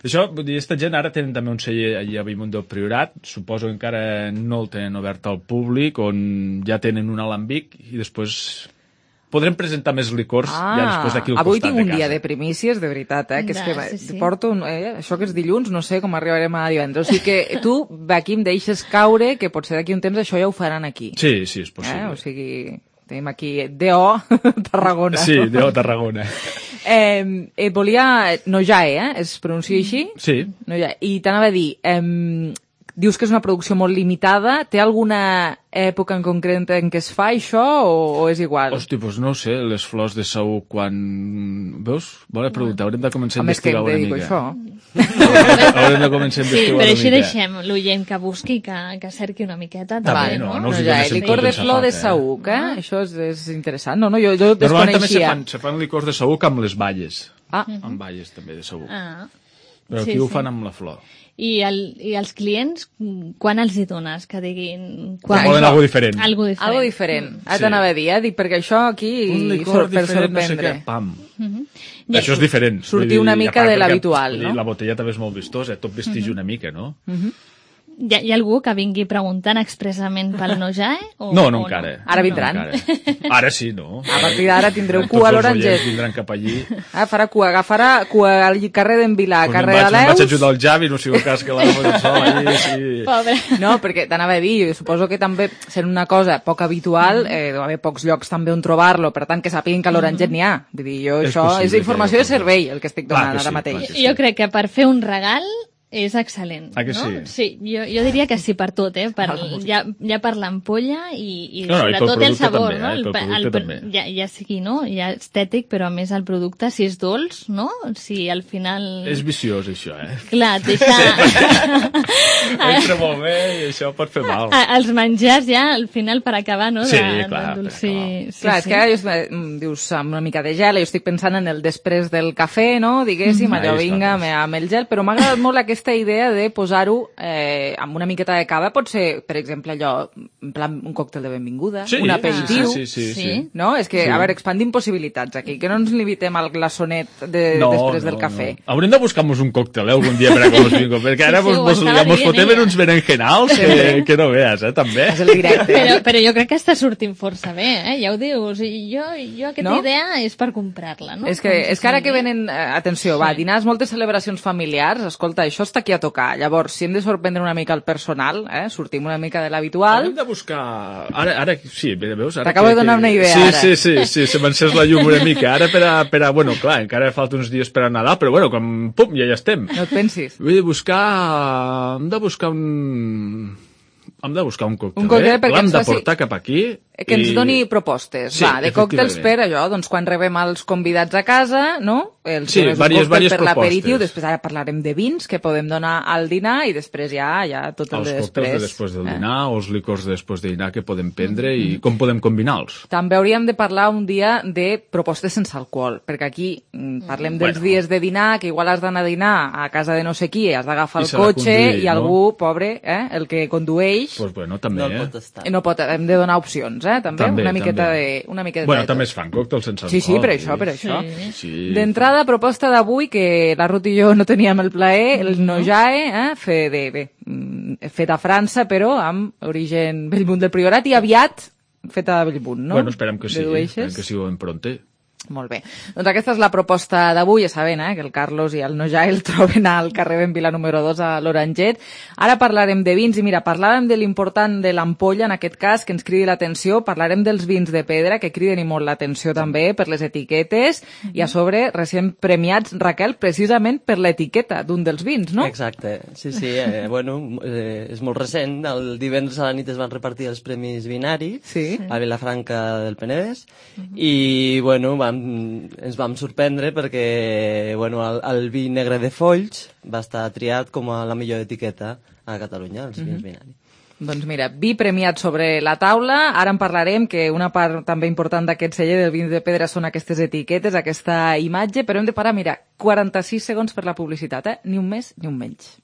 Això, vull dir, aquesta gent ara tenen també un celler allà a Bellmunt del Priorat, suposo que encara no el tenen obert al públic, on ja tenen un alambic, i després podrem presentar més licors Ah, ja després d'aquí al avui costat tinc de un casa. dia de primícies, de veritat, eh? Que és Ja, que va- sí, sí. porto, un, eh? Això que és dilluns, no sé com arribarem a divendres. O sigui que tu, aquí em deixes caure, que potser d'aquí un temps això ja ho faran aquí. Sí, sí, és possible. Eh? O sigui, tenim aquí D O Tarragona. Sí, D O Tarragona. Eh, eh, volia... Nojae, eh? Es pronuncia així? Sí. Nojae. I t'anava a dir, eh, dius que és una producció molt limitada, té alguna època en concret en què es fa això o, o és igual? Hosti, doncs no ho sé, les flors de saüc quan... Veus? Bona pregunta, haurem de començar a Home, és que investigar em una dedico a mica. això. Haurem de començar a Sí, investigar però una així mica. deixem l'oient que busqui, que, que cerqui una miqueta. També, no, no? no us hi ja, donessin licor tot de ben flor de safat, eh? saüc, eh? Això és, és interessant. No, no, jo, jo Normalment també se desconeixia. fan, se fan licors de saüc amb les valles. Ah. Amb valles també de saüc. Ah. Però Sí, aquí ho sí. fan amb la flor. I, el, I els clients, quan els hi dones? Que diguin... Quan volen algo diferent. Algo diferent. Algo diferent. Ara Sí. t'anava a dir, eh? Dic, perquè això aquí... Un licor sor- per diferent, no sé sorprendre. què, pam. Mhm. Això és diferent. Sortir Vull dir, una a mica part de perquè, l'habitual, vull dir, no? La botella també és molt vistosa, tot vestigi Mhm. una mica, no? Mhm. Hi ha, hi ha algú que vingui preguntant expressament pel Nojae? O, No, no o encara. Ara vindran. No, encara. Ara sí, no? A partir d'ara tindreu Tots cua a els l'Oranget. oients vindran cap allí. Ah, farà cua, agafarà cua al carrer d'en Vilà, Pues carrer me'n de vaig, me'n vaig l'Eus... ajudar el Javi, no sigui el cas que l'agafo del sol allí, sí. Pobre. No, perquè t'anava a dir, jo suposo que també sent una cosa poc habitual, eh, deu haver pocs llocs també on trobar-lo, per tant que sàpiguen que a l'Oranget n'hi ha. Vull dir, jo És això possible és informació que- de servei, el que estic Clar donant que ara sí, mateix. clar que Jo crec que per fer un regal és excel·lent. Ah, que no? sí? Sí, jo, jo diria que sí per tot, eh? Per, ja, ja per l'ampolla i, i No, no, i pel sobretot el producte sabor, també, no? eh? I pel producte el, també. ja, ja sigui, no? Ja estètic, però a més el producte, si és dolç, no? Si al final... És viciós, això, eh? Clar, et deixa... Entra molt bé i això pot fer mal. A- Els menjars ja, al final, per acabar, no? Sí, de, clar, de sí, sí, Clar, és sí. que ara just, eh, mm, dius amb una mica de gel, jo estic pensant en el després del cafè, no? Diguéssim, Mhm. allò Ahí està, vinga, pues. me- amb el gel, però m'ha agradat molt aquesta idea de posar-ho eh, amb una miqueta de cava, pot ser, per exemple, allò, en plan un còctel de benvinguda, Sí, un aperitiu, sí, sí, sí, sí. no? És que, Sí. a veure, expandim possibilitats aquí, que no ens limitem al glaçonet de, després del cafè. No. Haurem de buscar-nos un còctel, eh, algun dia per a com us vingo, perquè ara Sí, sí, mos, ho mos, estava ja mos dient fotem ella. en uns berenjenals que, que no veas, eh, també. És el directe. Però, però jo crec que està sortint força bé, eh? Ja ho dius. I jo, jo aquesta No? idea és per comprar-la, no? És que, és que ara que venen, eh, atenció, va, dinars, moltes celebracions familiars, escolta, això està aquí a tocar. Llavors, si hem de sorprendre una mica el personal, eh, sortim una mica de l'habitual. Haurem de buscar... Ara, ara sí, veus? Ara T'acabo que- de donar que- una idea, sí, ara. Sí, sí, sí, se m'encés la llum una mica. Ara per a, per a... Bueno, clar, encara falta uns dies per a Nadal, però bueno, com... Pum, ja hi estem. No et pensis. Vull dir, buscar... Hem de buscar un... Hem de buscar un còctel, Un còctel eh? perquè L'hem ens de faci- portar cap aquí. Que ens i- doni propostes, Sí, va, de còctels per efectivament. allò, doncs quan rebem els convidats a casa, no? El Sí, és un vàries- còctel vàries per l'aperitiu, propostes. després ara parlarem de vins que podem donar al dinar i després ja, ja tot el Els de còctels després. de després del eh? dinar o els licors de després de dinar que podem prendre i com podem combinar-los. També hauríem de parlar un dia de propostes sense alcohol, perquè aquí mm, parlem dels Bueno. dies de dinar, que igual has d'anar a dinar a casa de no sé qui, has d'agafar I el s'ha de cotxe conduir, i no? algú, pobre, eh, el que condueix, Pues bueno, també, No el eh? pot estar. no pot, hem de donar opcions, eh, també, També, una miqueta també. de... Una miqueta Bueno, de també tot. es fan còctels sense alcohol. Sí, sí, per vull això, dir. per això. Sí. D'entrada, proposta d'avui, que la Ruth i jo no teníem el plaer, el Nojae, eh, fe de, bé, mm, fet a França, però amb origen Bellmunt del Priorat i aviat fet a Bellmunt, no? Bueno, esperem que sí, Dedueixes? esperem que sigui ben pronte. Molt bé. Doncs aquesta és la proposta d'avui, ja sabent eh, que el Carlos i el Noja el troben al carrer Ben Vila número dos a l'Oranget. Ara parlarem de vins i mira, parlàvem de l'important de l'ampolla, en aquest cas, que ens cridi l'atenció. Parlarem dels vins de pedra, que criden i molt l'atenció també per les etiquetes mm-hmm. i a sobre recent premiats, Raquel, precisament per l'etiqueta d'un dels vins, no? Exacte, sí, sí. Eh, bueno, eh, és molt recent. El divendres a la nit es van repartir els Premis Vinari sí. a Vilafranca del Penedès mm-hmm. i, bueno, vam ens vam sorprendre perquè bueno, el, el vi negre de Folls va estar triat com a la millor etiqueta a Catalunya, els vins mm-hmm. Vinari. Doncs mira, vi premiat sobre la taula. Ara en parlarem, que una part també important d'aquest celler del vins de pedra són aquestes etiquetes, aquesta imatge, però hem de parar, mira, quaranta-sis segons per la publicitat, eh? Ni un més ni un menys.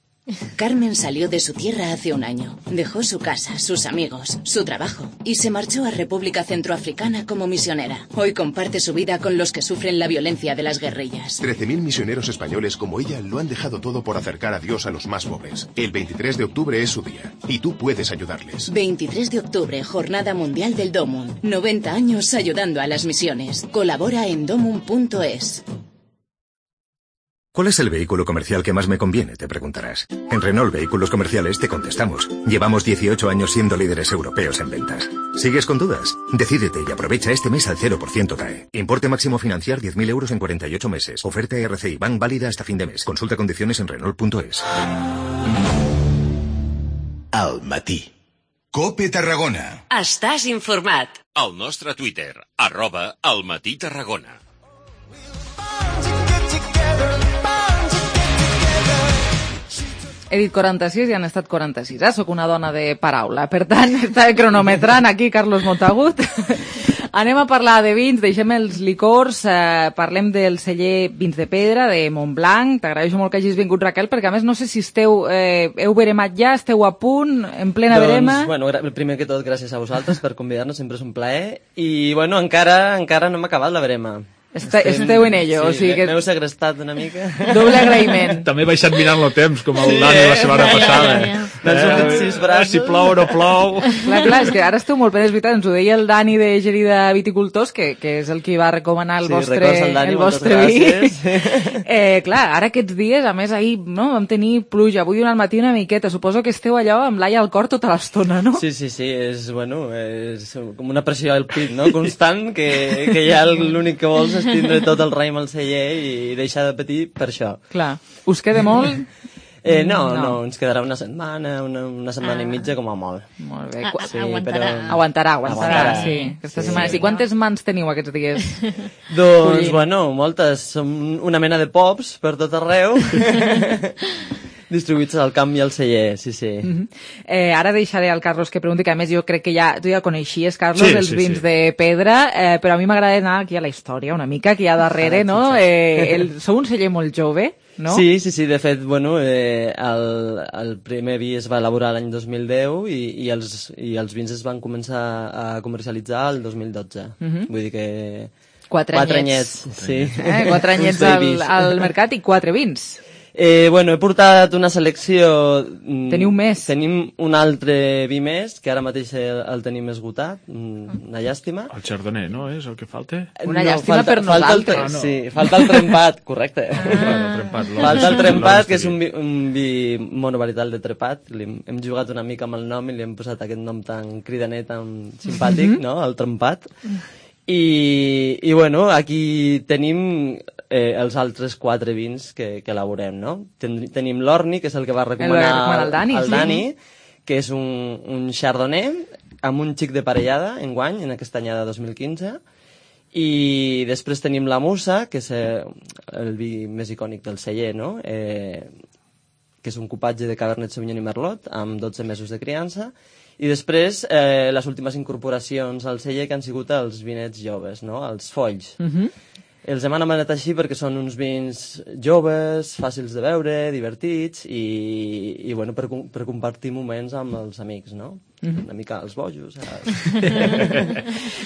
Carmen salió de su tierra hace un año. Dejó su casa, sus amigos, su trabajo y se marchó a República Centroafricana como misionera. Hoy comparte su vida con los que sufren la violencia de las guerrillas. trece mil misioneros españoles como ella lo han dejado todo por acercar a Dios a los más pobres. El veintitrés de octubre es su día y tú puedes ayudarles. veintitrés de octubre, Jornada Mundial del Domun. noventa años ayudando a las misiones. Colabora en domun punto es. ¿Cuál es el vehículo comercial que más me conviene?, te preguntarás. En Renault Vehículos Comerciales te contestamos. Llevamos dieciocho años siendo líderes europeos en ventas. ¿Sigues con dudas? Decídete y aprovecha este mes al cero por ciento T A E. Importe máximo financiar diez mil euros en cuarenta y ocho meses. Oferta R C I Bank válida hasta fin de mes. Consulta condiciones en Renault punto es. Al matí. COPE Tarragona. Estàs informat. Al nostre Twitter, arroba Al Matí Tarragona. He dit quaranta-sis i han estat quaranta-sis, eh? Soc una dona de paraula. Per tant, està cronometrant aquí Carlos Montagut. Anem a parlar de vins, deixem els licors, eh, parlem del celler Vins de Pedra, de Montblanc. T'agraeixo molt que hagis vingut, Raquel, perquè a més no sé si esteu, eh, heu veremat ja, esteu a punt, en plena doncs, verema. Bueno, primer que tot, gràcies a vosaltres per convidar-nos, sempre és un plaer. I, bueno, encara encara no hem acabat la verema. Este, esteu en ello, sí, o sigui que... M'heu segrestat una mica. Doble agraïment. També he baixat mirant el temps, com el Dani la setmana passada. M'han sortit sis braços. Si plou o no plou. Clar, clar, és que ara esteu molt bé, és veritat, ens ho deia el Dani de Gerida Viticultors, que, que és el qui va recomanar el sí, vostre, el, Dani, el vostre vi. eh, clar, ara aquests dies, a més, ahir no, vam tenir pluja, avui al matí una miqueta, suposo que esteu allò amb l'aia al cor tota l'estona, no? Sí, sí, sí, és, bueno, és com una pressió al pit, no?, constant, que, que ja l'únic que vols és tindre tot el raïm al celler i deixar de patir per això. Clar. Us queda molt? Eh, no, no, no, ens quedarà una setmana, una, una setmana ah. i mitja com a molt. Molt bé. Ah, sí, aguantarà. Però... Aguantarà, aguantarà, aguantarà, sí. Aquesta sí, setmana. sí. I quantes mans teniu aquests dies? Doncs, Collint. bueno, moltes. Som una mena de pops per tot arreu. Distribuïts al camp i al celler, sí, sí. Mm-hmm. eh, ara deixaré al Carlos que pregunti, que a més jo crec que ja, tu ja coneixies, Carlos, sí, els sí, vins sí. de pedra, eh, però a mi m'agrada anar aquí a la història una mica, que hi ha darrere, ah, no? sí, sí. Eh, el, sou un celler molt jove, no? Sí, sí, sí, de fet, bueno, eh, el, el primer vi es va elaborar l'any dos mil deu i, i, els, i els vins es van començar a comercialitzar el dos mil dotze. Mm-hmm. Vull dir que... Quatre, quatre anyets. anyets. Sí. Eh, quatre anyets al, al mercat i quatre vins. Eh, bueno, he portat una selecció... Teniu més? Tenim un altre vi més, que ara mateix el, el tenim esgotat, una llàstima. El chardonnay, no? És el que falta? Una no, llàstima falta, per falta nosaltres. El, Ah, no. Sí, falta el trempat, correcte. Ah. El trempat, falta el trempat, que és un vi, un vi monovarital de trepat. Li hem, hem jugat una mica amb el nom i li hem posat aquest nom tan cridaner, tan simpàtic, mm-hmm. no?, el trempat. I, i bueno, aquí tenim eh, els altres quatre vins que, que elaborem, no? Ten, tenim l'Orni, que és el que va recomanar el, el Dani, el sí. Dani, que és un, un chardonnay amb un xic de parellada enguany, en aquesta anyada dos mil quinze, i després tenim la Musa, que és eh, el vi més icònic del celler, no? Eh, que és un cupatge de Cabernet Sauvignon i Merlot, amb dotze mesos de criança, i després, eh, les últimes incorporacions al celler que han sigut els vinets joves, no?, els folls. Mm-hmm. Els hem anomenat així perquè són uns vins joves, fàcils de beure, divertits i, i bueno, per, per compartir moments amb els amics, no? Mm-hmm. Una mica els bojos.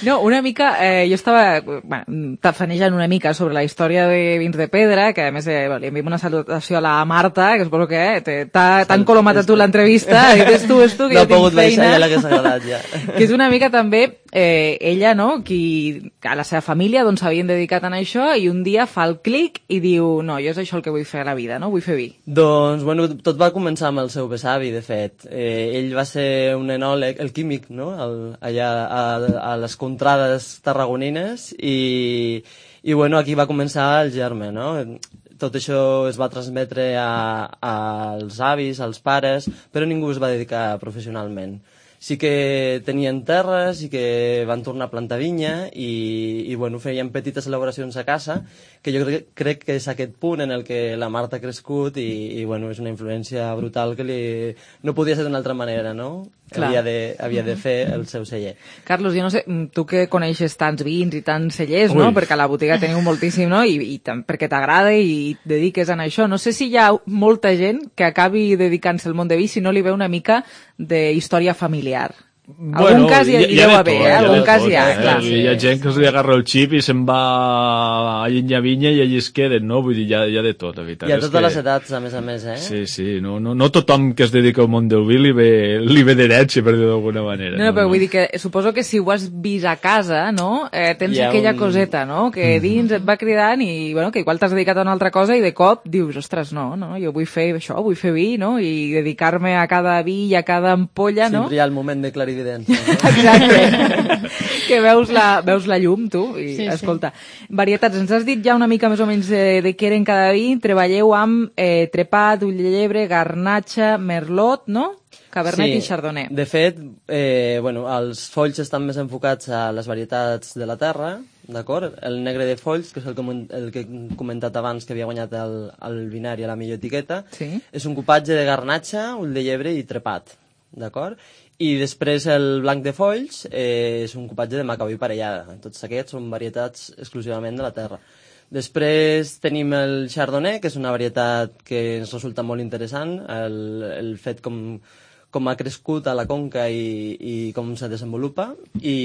No, una mica, eh, jo estava bueno, tafanejant una mica sobre la història de Vins de Pedra, que a més eh, li enviem una salutació a la Marta, que suposo que eh, t'ha encolomat a tu l'entrevista, és tu, és tu, que no jo tinc feina. No ha pogut baixar, ja l'hagués agradat, ja. Que és una mica també eh, ella, no?, qui a la seva família doncs s'havien dedicat a això i un dia fa el clic i diu, no, jo és això el que vull fer a la vida, no? Vull fer vi. Doncs, bueno, tot va començar amb el seu besavi, de fet. Eh, ell va ser un enòleg, el químic, no?, el, allà a, a les contrades tarragonines i, i, bueno, aquí va començar el germe, no? Tot això es va transmetre a, als avis, als pares, però ningú es va dedicar professionalment. Sí que tenien terres i que van tornar a plantar vinya i, i bueno, feien petites elaboracions a casa, que jo crec, crec que és aquest punt en el que la Marta ha crescut i, i bueno, és una influència brutal que li... no podia ser d'una altra manera, no? Havia de, havia de fer el seu celler. Carlos, jo no sé, tu que coneixes tants vins i tants cellers, no? Perquè a la botiga teniu moltíssim, no? I, i perquè t'agrada i et dediques a això. No sé si hi ha molta gent que acabi dedicant-se al món de vi si no li ve una mica de història familiar. Bueno, algun cas hi, hi, hi deu haver, eh? Algun cas hi ha, eh? clar. Hi ha gent que se li agarra el xip i se'n va a llenya vinya i allí es queden, no? Vull dir, hi ha, hi ha de tot, la veritat. Hi ha totes que... les edats, a més a més, eh? Sí, sí, no, no, no tothom que es dedica al món del vi li ve, li ve d'herència, per dir d'alguna manera. No, no, però vull dir que suposo que si ho has vist a casa, no? Eh, tens aquella un... coseta, no? Que dins et va cridant i, bueno, que igual t'has dedicat a una altra cosa i de cop dius, ostres, no, no, jo vull fer això, vull fer vi, no? I dedicar-me a cada vi i a cada ampolla, no? Sempre hi ha el moment de clarividència, no? Exacte, que veus la, veus la llum, tu, i Sí, escolta, sí. Varietats, ens has dit ja una mica més o menys de, de què eren cada vi, treballeu amb eh, trepat, ull de llebre, garnatxa, merlot, no? Cabernet sí. i chardonnay. De fet, eh, bueno, els folls estan més enfocats a les varietats de la terra, d'acord? El negre de folls, que és el que, el que he comentat abans, que havia guanyat el, el binari a la millor etiqueta, sí. És un cupatge de garnatxa, ull de llebre i trepat, d'acord? I després el blanc de folls eh, és un cupatge de macabí parellada. Tots aquests són varietats exclusivament de la terra. Després tenim el chardonnay, que és una varietat que ens resulta molt interessant, el, el fet com, com ha crescut a la conca i, i com se desenvolupa, i,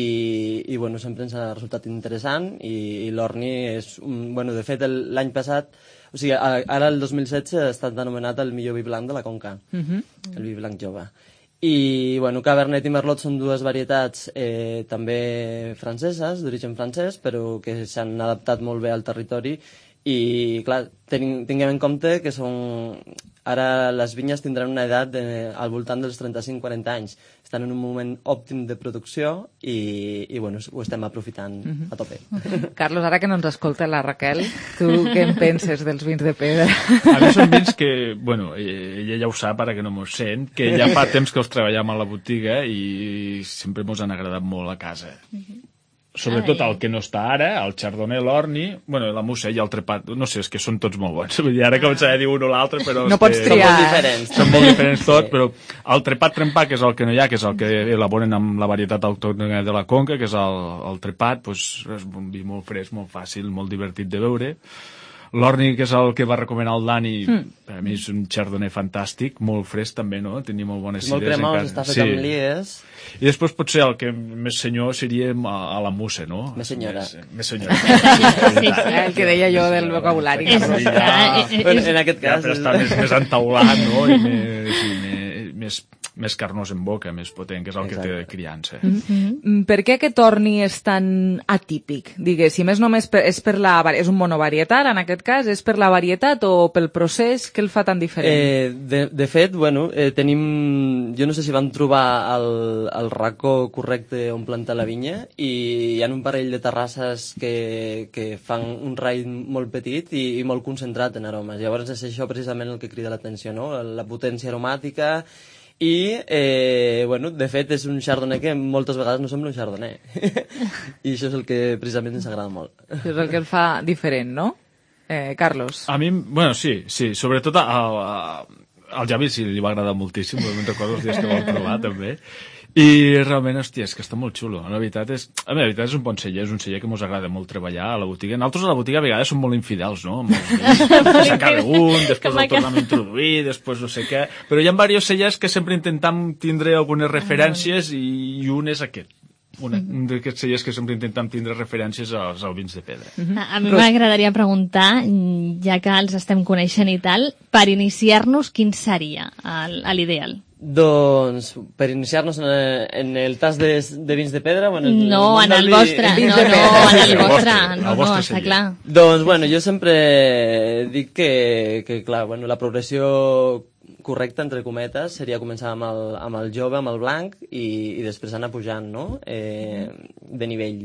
i bueno, sempre ens ha resultat interessant, i, i l'orni és un... Bueno, de fet, l'any passat, o sigui, ara el dos mil setze ha estat anomenat el millor vi blanc de la conca, Uh-huh. el vi blanc jove. I, bueno, Cabernet i Merlot són dues varietats eh, també franceses, d'origen francès, però que s'han adaptat molt bé al territori i, clar, ten, tinguem en compte que són... Ara les vinyes tindran una edat de, al voltant dels trenta-cinc a quaranta anys. Estan en un moment òptim de producció i, i bueno, ho estem aprofitant Uh-huh. a tope. Carlos, ara que no ens escolta la Raquel, tu què en penses dels vins de pedra? A mi són vins que, bueno, ella ja ho sap, ara que no m'ho sent, que ja fa temps que els treballem a la botiga i sempre mos han agradat molt a casa. Sobretot el que no està ara, el chardonnay, l'orni, bueno, la musa i el trepat, no sé, és que són tots molt bons. Vull dir, ara començaré a dir un o l'altre, però... No pots triar. Són molt diferents. Són molt diferents tot, però el trepat trempat, que és el que no hi ha, que és el que elaboren amb la varietat autòctona de la conca, que és el, el trepat, doncs és un vi molt fresc, molt fàcil, molt divertit de beure. L'orni, que és el que va recomanar el Dani, mm. per a mi és un chardonnay fantàstic, molt fresc també, no? Tenia molt bones és molt cides. cremós, està fet sí. amb lies. I després potser el que més senyor seria a, a la musa, no? Més senyora. Més, més senyora. Sí, el que deia jo del vocabulari. Sí, ja, bueno, en aquest cas... Ja, però està més, més entaulat, no? I més, i més, més, més carnós en boca, més potent, que és el Exacte. Que té de criança. Mm-hmm. Per què aquest orni és tan atípic? Diguéssim, és només per, és per la... És un monovarietat, en aquest cas? És per la varietat o pel procés? Què el fa tan diferent? Eh, de, de fet, bueno, eh, tenim... Jo no sé si van trobar el, el racó correcte on plantar la vinya i hi ha un parell de terrasses que, que fan un raïm molt petit i, i molt concentrat en aromes. Llavors és això precisament el que crida l'atenció, no? La potència aromàtica i, eh, bueno, de fet és un chardonnay que moltes vegades no sembla un chardonnay. I això és el que precisament ens agrada molt. Això és el que el fa diferent, no? Eh, Carlos. A mi, bueno, sí, sí, sobretot a, a, al Javi sí li va agradar moltíssim, me'n recordo els dies que vam provar també. I realment, hòstia, és que està molt xulo. La veritat és, a mi, la veritat és un bon celler, és un celler que mos agrada molt treballar a la botiga. Nosaltres a la botiga a vegades som molt infidels, no? S'acaba un, després el tornem a introduir, després no sé què. Però hi ha diversos cellers que sempre intentam tindre algunes referències i un és aquest. Una, un d'aquests cellers que sempre intentem tindre referències als, als vins de pedra. Uh-huh. A mi m'agradaria preguntar, ja que els estem coneixent i tal, per iniciar-nos, quin seria l'ideal? Doncs, per iniciar-nos en, en el tas de, de vins de pedra... Bueno, no, en el vostre. No, no, en el vostre. No, no, està clar. Doncs, bueno, jo sempre dic que, que clar, bueno, la progressió correcta, entre cometes, seria començar amb el, amb el jove, amb el blanc, i, i després anar pujant, no?, eh, de nivell,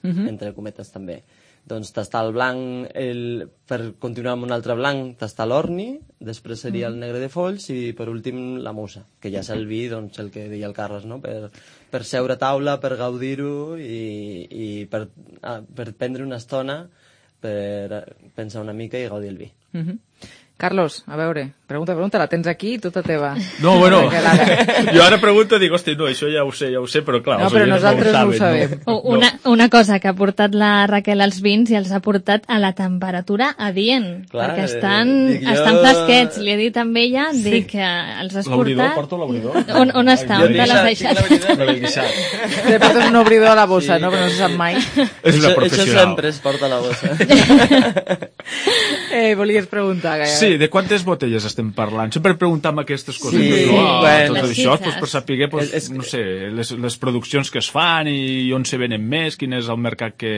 uh-huh. entre cometes, també. Doncs tastar el blanc, el, per continuar amb un altre blanc, tastar l'orni, després seria el negre de folls i per últim la musa, que ja és el vi, doncs el que deia el Carles, no? Per, per seure a taula, per gaudir-ho i, i per, ah, per prendre una estona, per pensar una mica i gaudir el vi. Uh-huh. Carlos, a veure, pregunta, pregunta, la tens aquí, tota teva. No, bueno, jo ara pregunto, dic, hosti, no, això ja ho sé, ja ho sé, però clar... No, però nosaltres no ho sabem. No. Una, una cosa que ha portat la Raquel als vins i els ha portat a la temperatura adient, clar, perquè estan, eh, jo... estan fresquets. Li he dit amb ella, sí. dic que els has l'obridor, portat... Porto l'obridor? On, on està? On te l'has deixat? Te portes un obridor a la bossa, sí. No? Però no se sap mai. És una professional. Això sempre es porta a la bossa. eh, volies preguntar, Gaia? Sí, de quantes botelles estem parlant? Sempre preguntem aquestes coses, sí, no? bueno, tot això, pues, per saber, pues, es, no sé, les, les produccions que es fan i on se venen més, quin és el mercat que,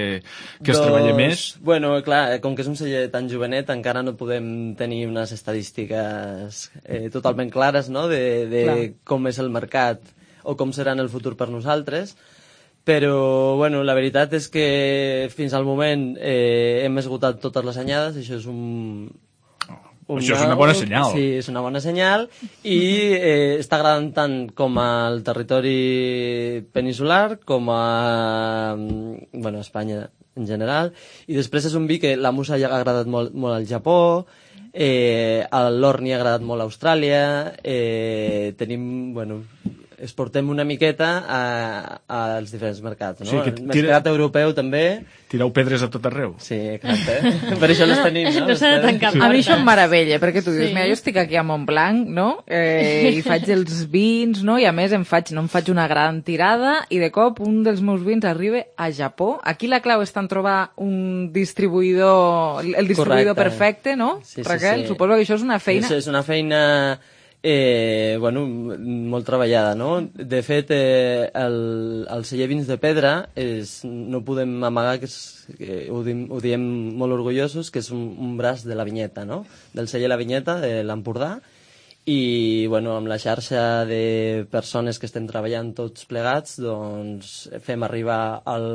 que es doncs, treballa més. Bueno, clar, com que és un celler tan jovenet, encara no podem tenir unes estadístiques eh, totalment clares, no?, de, de com és el mercat o com serà en el futur per nosaltres, però, bueno, la veritat és que fins al moment eh, hem esgotat totes les anyades, això és un... Una, això és una bona senyal. Sí, és una bona senyal i eh, està agradant tant com al territori peninsular com a bueno, Espanya en general. I després és un vi que la musa ja ha agradat molt, molt al Japó, eh, l'orni ha agradat molt a Austràlia, eh, tenim, bueno... exportem una miqueta a, als diferents mercats, no? Sí, el tira... mercat europeu també. Tireu pedres a tot arreu. Sí, exacte. Per això les tenim, no? No s'ha de tancar sí. A mi això em meravella, perquè tu dius, sí. Mira, jo estic aquí a Montblanc, no? Eh, I faig els vins, no? I a més em faig, no em faig una gran tirada i de cop un dels meus vins arriba a Japó. Aquí la clau està en trobar un distribuïdor, el distribuïdor Correcte. Perfecte, no? Sí, sí, Raquel, sí. Suposo que això és una feina... Sí, és una feina... Eh, bueno, molt treballada, no? De fet, eh, el, el celler Vins de Pedra és, no podem amagar, que, és, que ho, dim, ho diem molt orgullosos, que és un, un braç de la Vinyeta, no? Del celler La Vinyeta, de l'Empordà, i bueno, amb la xarxa de persones que estem treballant tots plegats, doncs fem arribar el,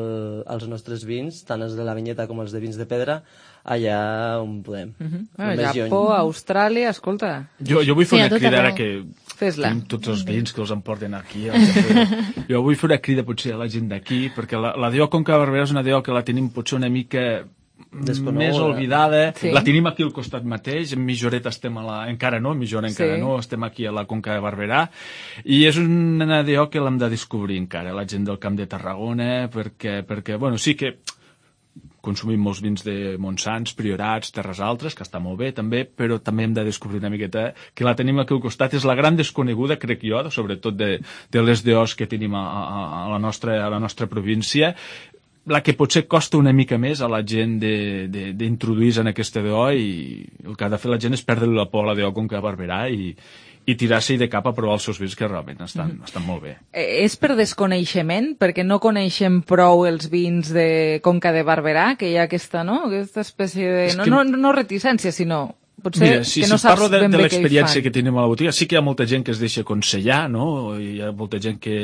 els nostres vins, tant els de la Vinyeta com els de Vins de Pedra, allà on podem. Uh-huh. Ah, Japó, Austràlia, escolta... Jo, jo vull fer sí, una crida ara que Fes-la. Tenim tots els vins que els emporten aquí. Jo vull fer una crida potser a la gent d'aquí, perquè la, la D O Conca de Barberà és una D O que la tenim potser una mica Desconeguda. Més oblidada. Sí. La tenim aquí al costat mateix, en Mijoret estem a la... encara no, en Mijoret encara sí. no, estem aquí a la Conca de Barberà, i és una D O que l'hem de descobrir encara, la gent del Camp de Tarragona, perquè, perquè bueno, sí que consumim molts vins de Montsants, Priorats, Terres Altres, que està molt bé també, però també hem de descobrir una miqueta que la tenim aquí al costat. És la gran desconeguda, crec jo, sobretot de, de les D Os que tenim a, a, a, la nostra, a la nostra província, la que potser costa una mica més a la gent d'introduir-se en aquesta D O, i el que ha de fer la gent és perdre la por a la D O Conca de Barberà i, i tirar-se de cap a provar els seus vins, que realment estan, mm-hmm. estan molt bé. Eh, és per desconeixement? Perquè no coneixem prou els vins de Conca de Barberà, que hi ha aquesta, no? Aquesta espècie de... No, que... no, no reticència, sinó... Potser Mira, si, que no si parlo de, de que l'experiència que tenim a la botiga, sí que hi ha molta gent que es deixa aconsellar, no? I hi ha molta gent que...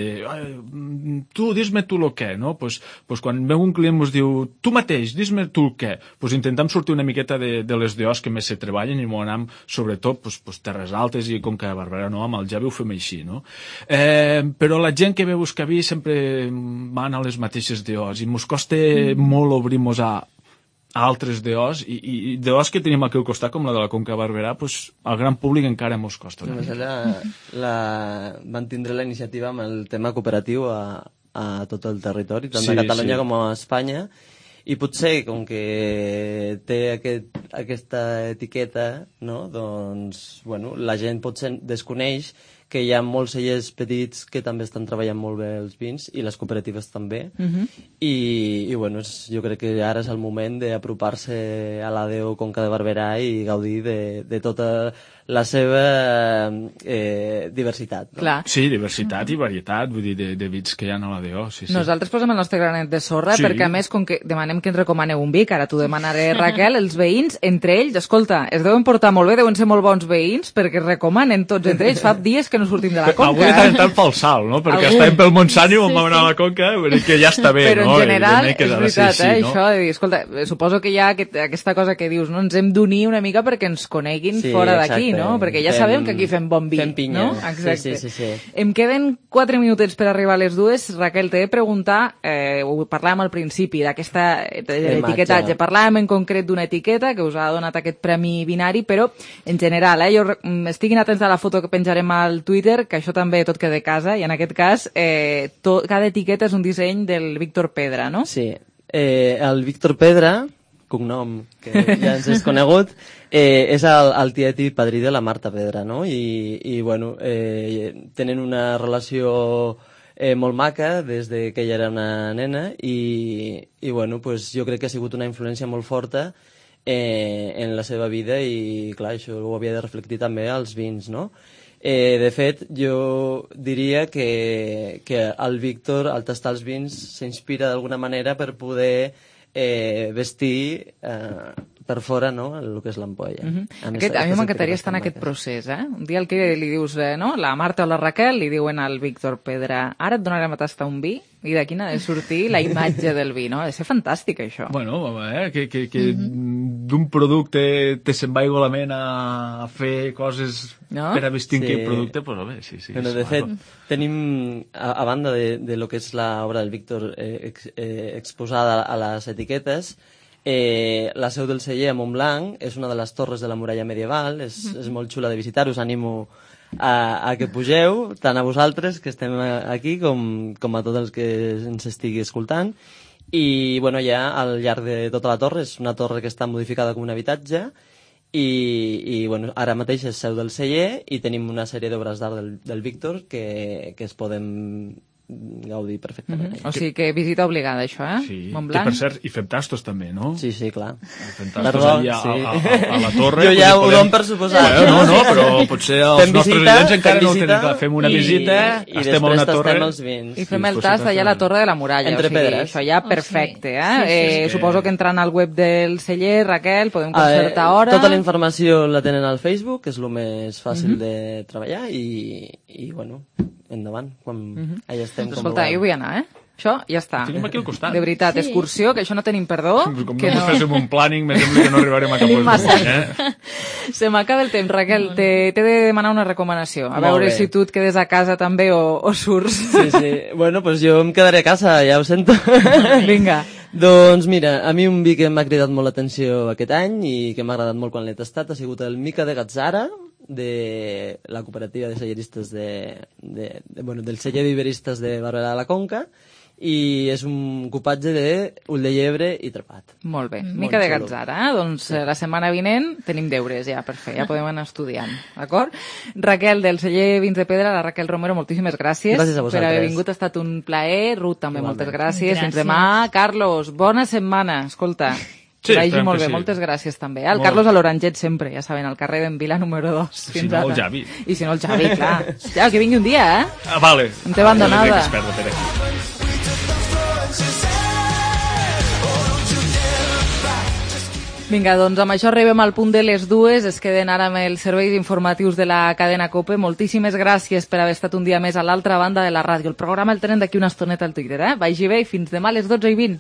Tu, dis-me tu el què, no? Pues, pues quan veu un client ens diu tu mateix, dis-me tu el què. Pues intentem sortir una miqueta de, de les D Os que més se treballen i m'ho anem, sobretot, pues, pues, Terres Altes i Conca de Barberà, no? Amb el Javi ho fem així, no? Eh, però la gent que ve a buscar vi sempre van a les mateixes D Os i mos costa molt obrir-nos a altres D Os, i, i D Os que tenim aquí al costat, com la de la Conca de Barberà, pues, al gran públic encara mos costa. No? La, la, van tindre la iniciativa amb el tema cooperatiu a, a tot el territori, tant sí, a Catalunya sí. com a Espanya, i potser, com que té aquest, aquesta etiqueta, no? Doncs, bueno, la gent potser desconeix que hi ha molts cellers petits que també estan treballant molt bé els vins, i les cooperatives també, uh-huh. I, i bueno, és, jo crec que ara és el moment d'apropar-se a l'A D O Conca de Barberà i gaudir de, de tota la seva eh, diversitat. No? Clar. Sí, diversitat i varietat, vull dir, de, de vins que hi ha a l'A D O. Sí, sí. Nosaltres posem el nostre granet de sorra, sí. perquè a més, com que demanem que ens recomaneu un vi, que ara t'ho demanaré, Raquel, els veïns, entre ells, escolta, es deuen portar molt bé, deuen ser molt bons veïns, perquè recomanen tots entre ells, fa dies que no sortim de la Conca. Avui tant tant fa el salt, no? Perquè Avui... estàvem pel Montsant i vam anar a la Conca, que ja està bé, però no? Però en general, és veritat, sí, sí, eh, no? això de dir, escolta, suposo que hi ha aquest, aquesta cosa que dius, no? Ens hem d'unir una mica perquè ens coneguin sí, fora d'aquí, no? Perquè ja fem, sabem que aquí fem bon vi, fem pinya. No? Exacte. Sí, sí, sí, sí. Em queden quatre minutets per arribar a les dues. Raquel, t'he de preguntar, eh, ho parlàvem al principi, d'aquesta etiquetatge. Parlàvem en concret d'una etiqueta que us ha donat aquest premi binari, però en general, eh, jo estiguin atents a la foto que penjarem al Twitter, que això també tot queda a casa, i en aquest cas, eh, tot, cada etiqueta és un disseny del Víctor Pedra, no? Sí. Eh, el Víctor Pedra, cognom que ja ens és conegut, eh, és el, el tiet i padrí de la Marta Pedra, no? I, i bueno, eh, tenen una relació eh, molt maca des de que ella era una nena, i, i bueno, pues, jo crec que ha sigut una influència molt forta eh, en la seva vida, i clar, això ho havia de reflectir també als vins, no? Eh, de fet, jo diria que, que el Víctor, al tastar els vins, s'inspira d'alguna manera per poder eh, vestir eh, per fora, no?, el que és l'ampolla. Uh-huh. a, aquest, a mi m'encantaria estar en aquest procés, eh? Un dia el que li dius, eh, no?, la Marta o la Raquel li diuen al Víctor Pedra, ara et donarem a tastar un vi, i d'aquí n'ha de sortir la imatge del vi, no? Ha de ser fantàstic, això. Bueno, eh, que, que, que uh-huh. d'un producte te se'n va igualment a fer coses no? per a vestir sí. aquell producte, pues, bé, sí, sí. Bueno, de fet, tenim, a, a banda de, de lo que és l'obra del Víctor eh, ex, eh, exposada a les etiquetes, Eh, la seu del celler a Montblanc és una de les torres de la muralla medieval, és, mm-hmm. és molt xula de visitar, us animo a, a que pugeu, tant a vosaltres que estem aquí com, com a tots els que ens estigui escoltant. I bueno, ja al llarg de tota la torre, és una torre que està modificada com un habitatge, i, i bueno, ara mateix és seu del celler i tenim una sèrie d'obres d'art del, del Víctor que, que es poden gaudir perfectament. Mm-hmm. O sigui que visita obligada, això, eh? Sí, Montblanc. que per cert, hi fem tastos també, no? Sí, sí, clar. Fem tastos allà sí. a, a, a la torre. Jo ja ho dono per suposat. Eh, no, no, però potser els fem nostres visita, oients encara no ho tenen clar. Fem una i, visita, i estem a una torre... Els vins. I fem el tast allà a la torre de la muralla. Entre o sigui, pedres. Això ja perfecte, eh? Sí, sí, eh sí. Suposo que entrant al web del celler, Raquel, podem concertar hora... Tota la informació la tenen al Facebook, que és el més fàcil mm-hmm. de treballar, i, i bueno... endavant, quan mm-hmm. allà estem doncs escolta, jo vull anar, eh? Això ja està. Tenim aquí al costat. De veritat, sí. excursió, que això no tenim perdó. Com que no, no féssim un planning, me sembla que no arribarem a cap punt. Eh? Se m'acaba el temps, Raquel. T'he de demanar una recomanació. A Molt veure bé. si tu et quedes a casa també o, o surts. Sí, sí. Bueno, pues jo em quedaré a casa, ja ho sento. Vinga. Doncs mira, a mi un vi que m'ha cridat molt l'atenció aquest any i que m'ha agradat molt quan l'he tastat ha sigut el Mica de Gazzara, de la cooperativa de celleristes de, de, de, bueno, del celler viveristes de Barberà de la Conca, i és un cupatge de ull de llebre i trepat. Molt bé, Molt Mica de xulo. Gazzara, eh? Doncs sí. La setmana vinent tenim deures ja per fer, ja podem anar estudiant, d'acord? Raquel, del celler Vins de Pedra, la Raquel Romero, moltíssimes gràcies, gràcies a vosaltres. per haver vingut, ha estat un plaer. Ruth, també Igualment. moltes gràcies. gràcies. Fins demà. Carlos, bona setmana, escolta. Sí, vagi molt bé, sí. moltes gràcies també. El molt Carlos a l'Oranget sempre, ja saben, al carrer d'en Vila número dos. Si no, el Javi. I si no, el Javi, clar. Ja, que vingui un dia, eh? Ah, vale. No té abandonada. Vinga, doncs amb això arribem al punt de les dues. Es queden ara amb els serveis informatius de la cadena COPE. Moltíssimes gràcies per haver estat un dia més a l'altra banda de la ràdio. El programa el tenen d'aquí una estoneta al Twitter, eh? Vagi bé i fins demà a les dotze i vint.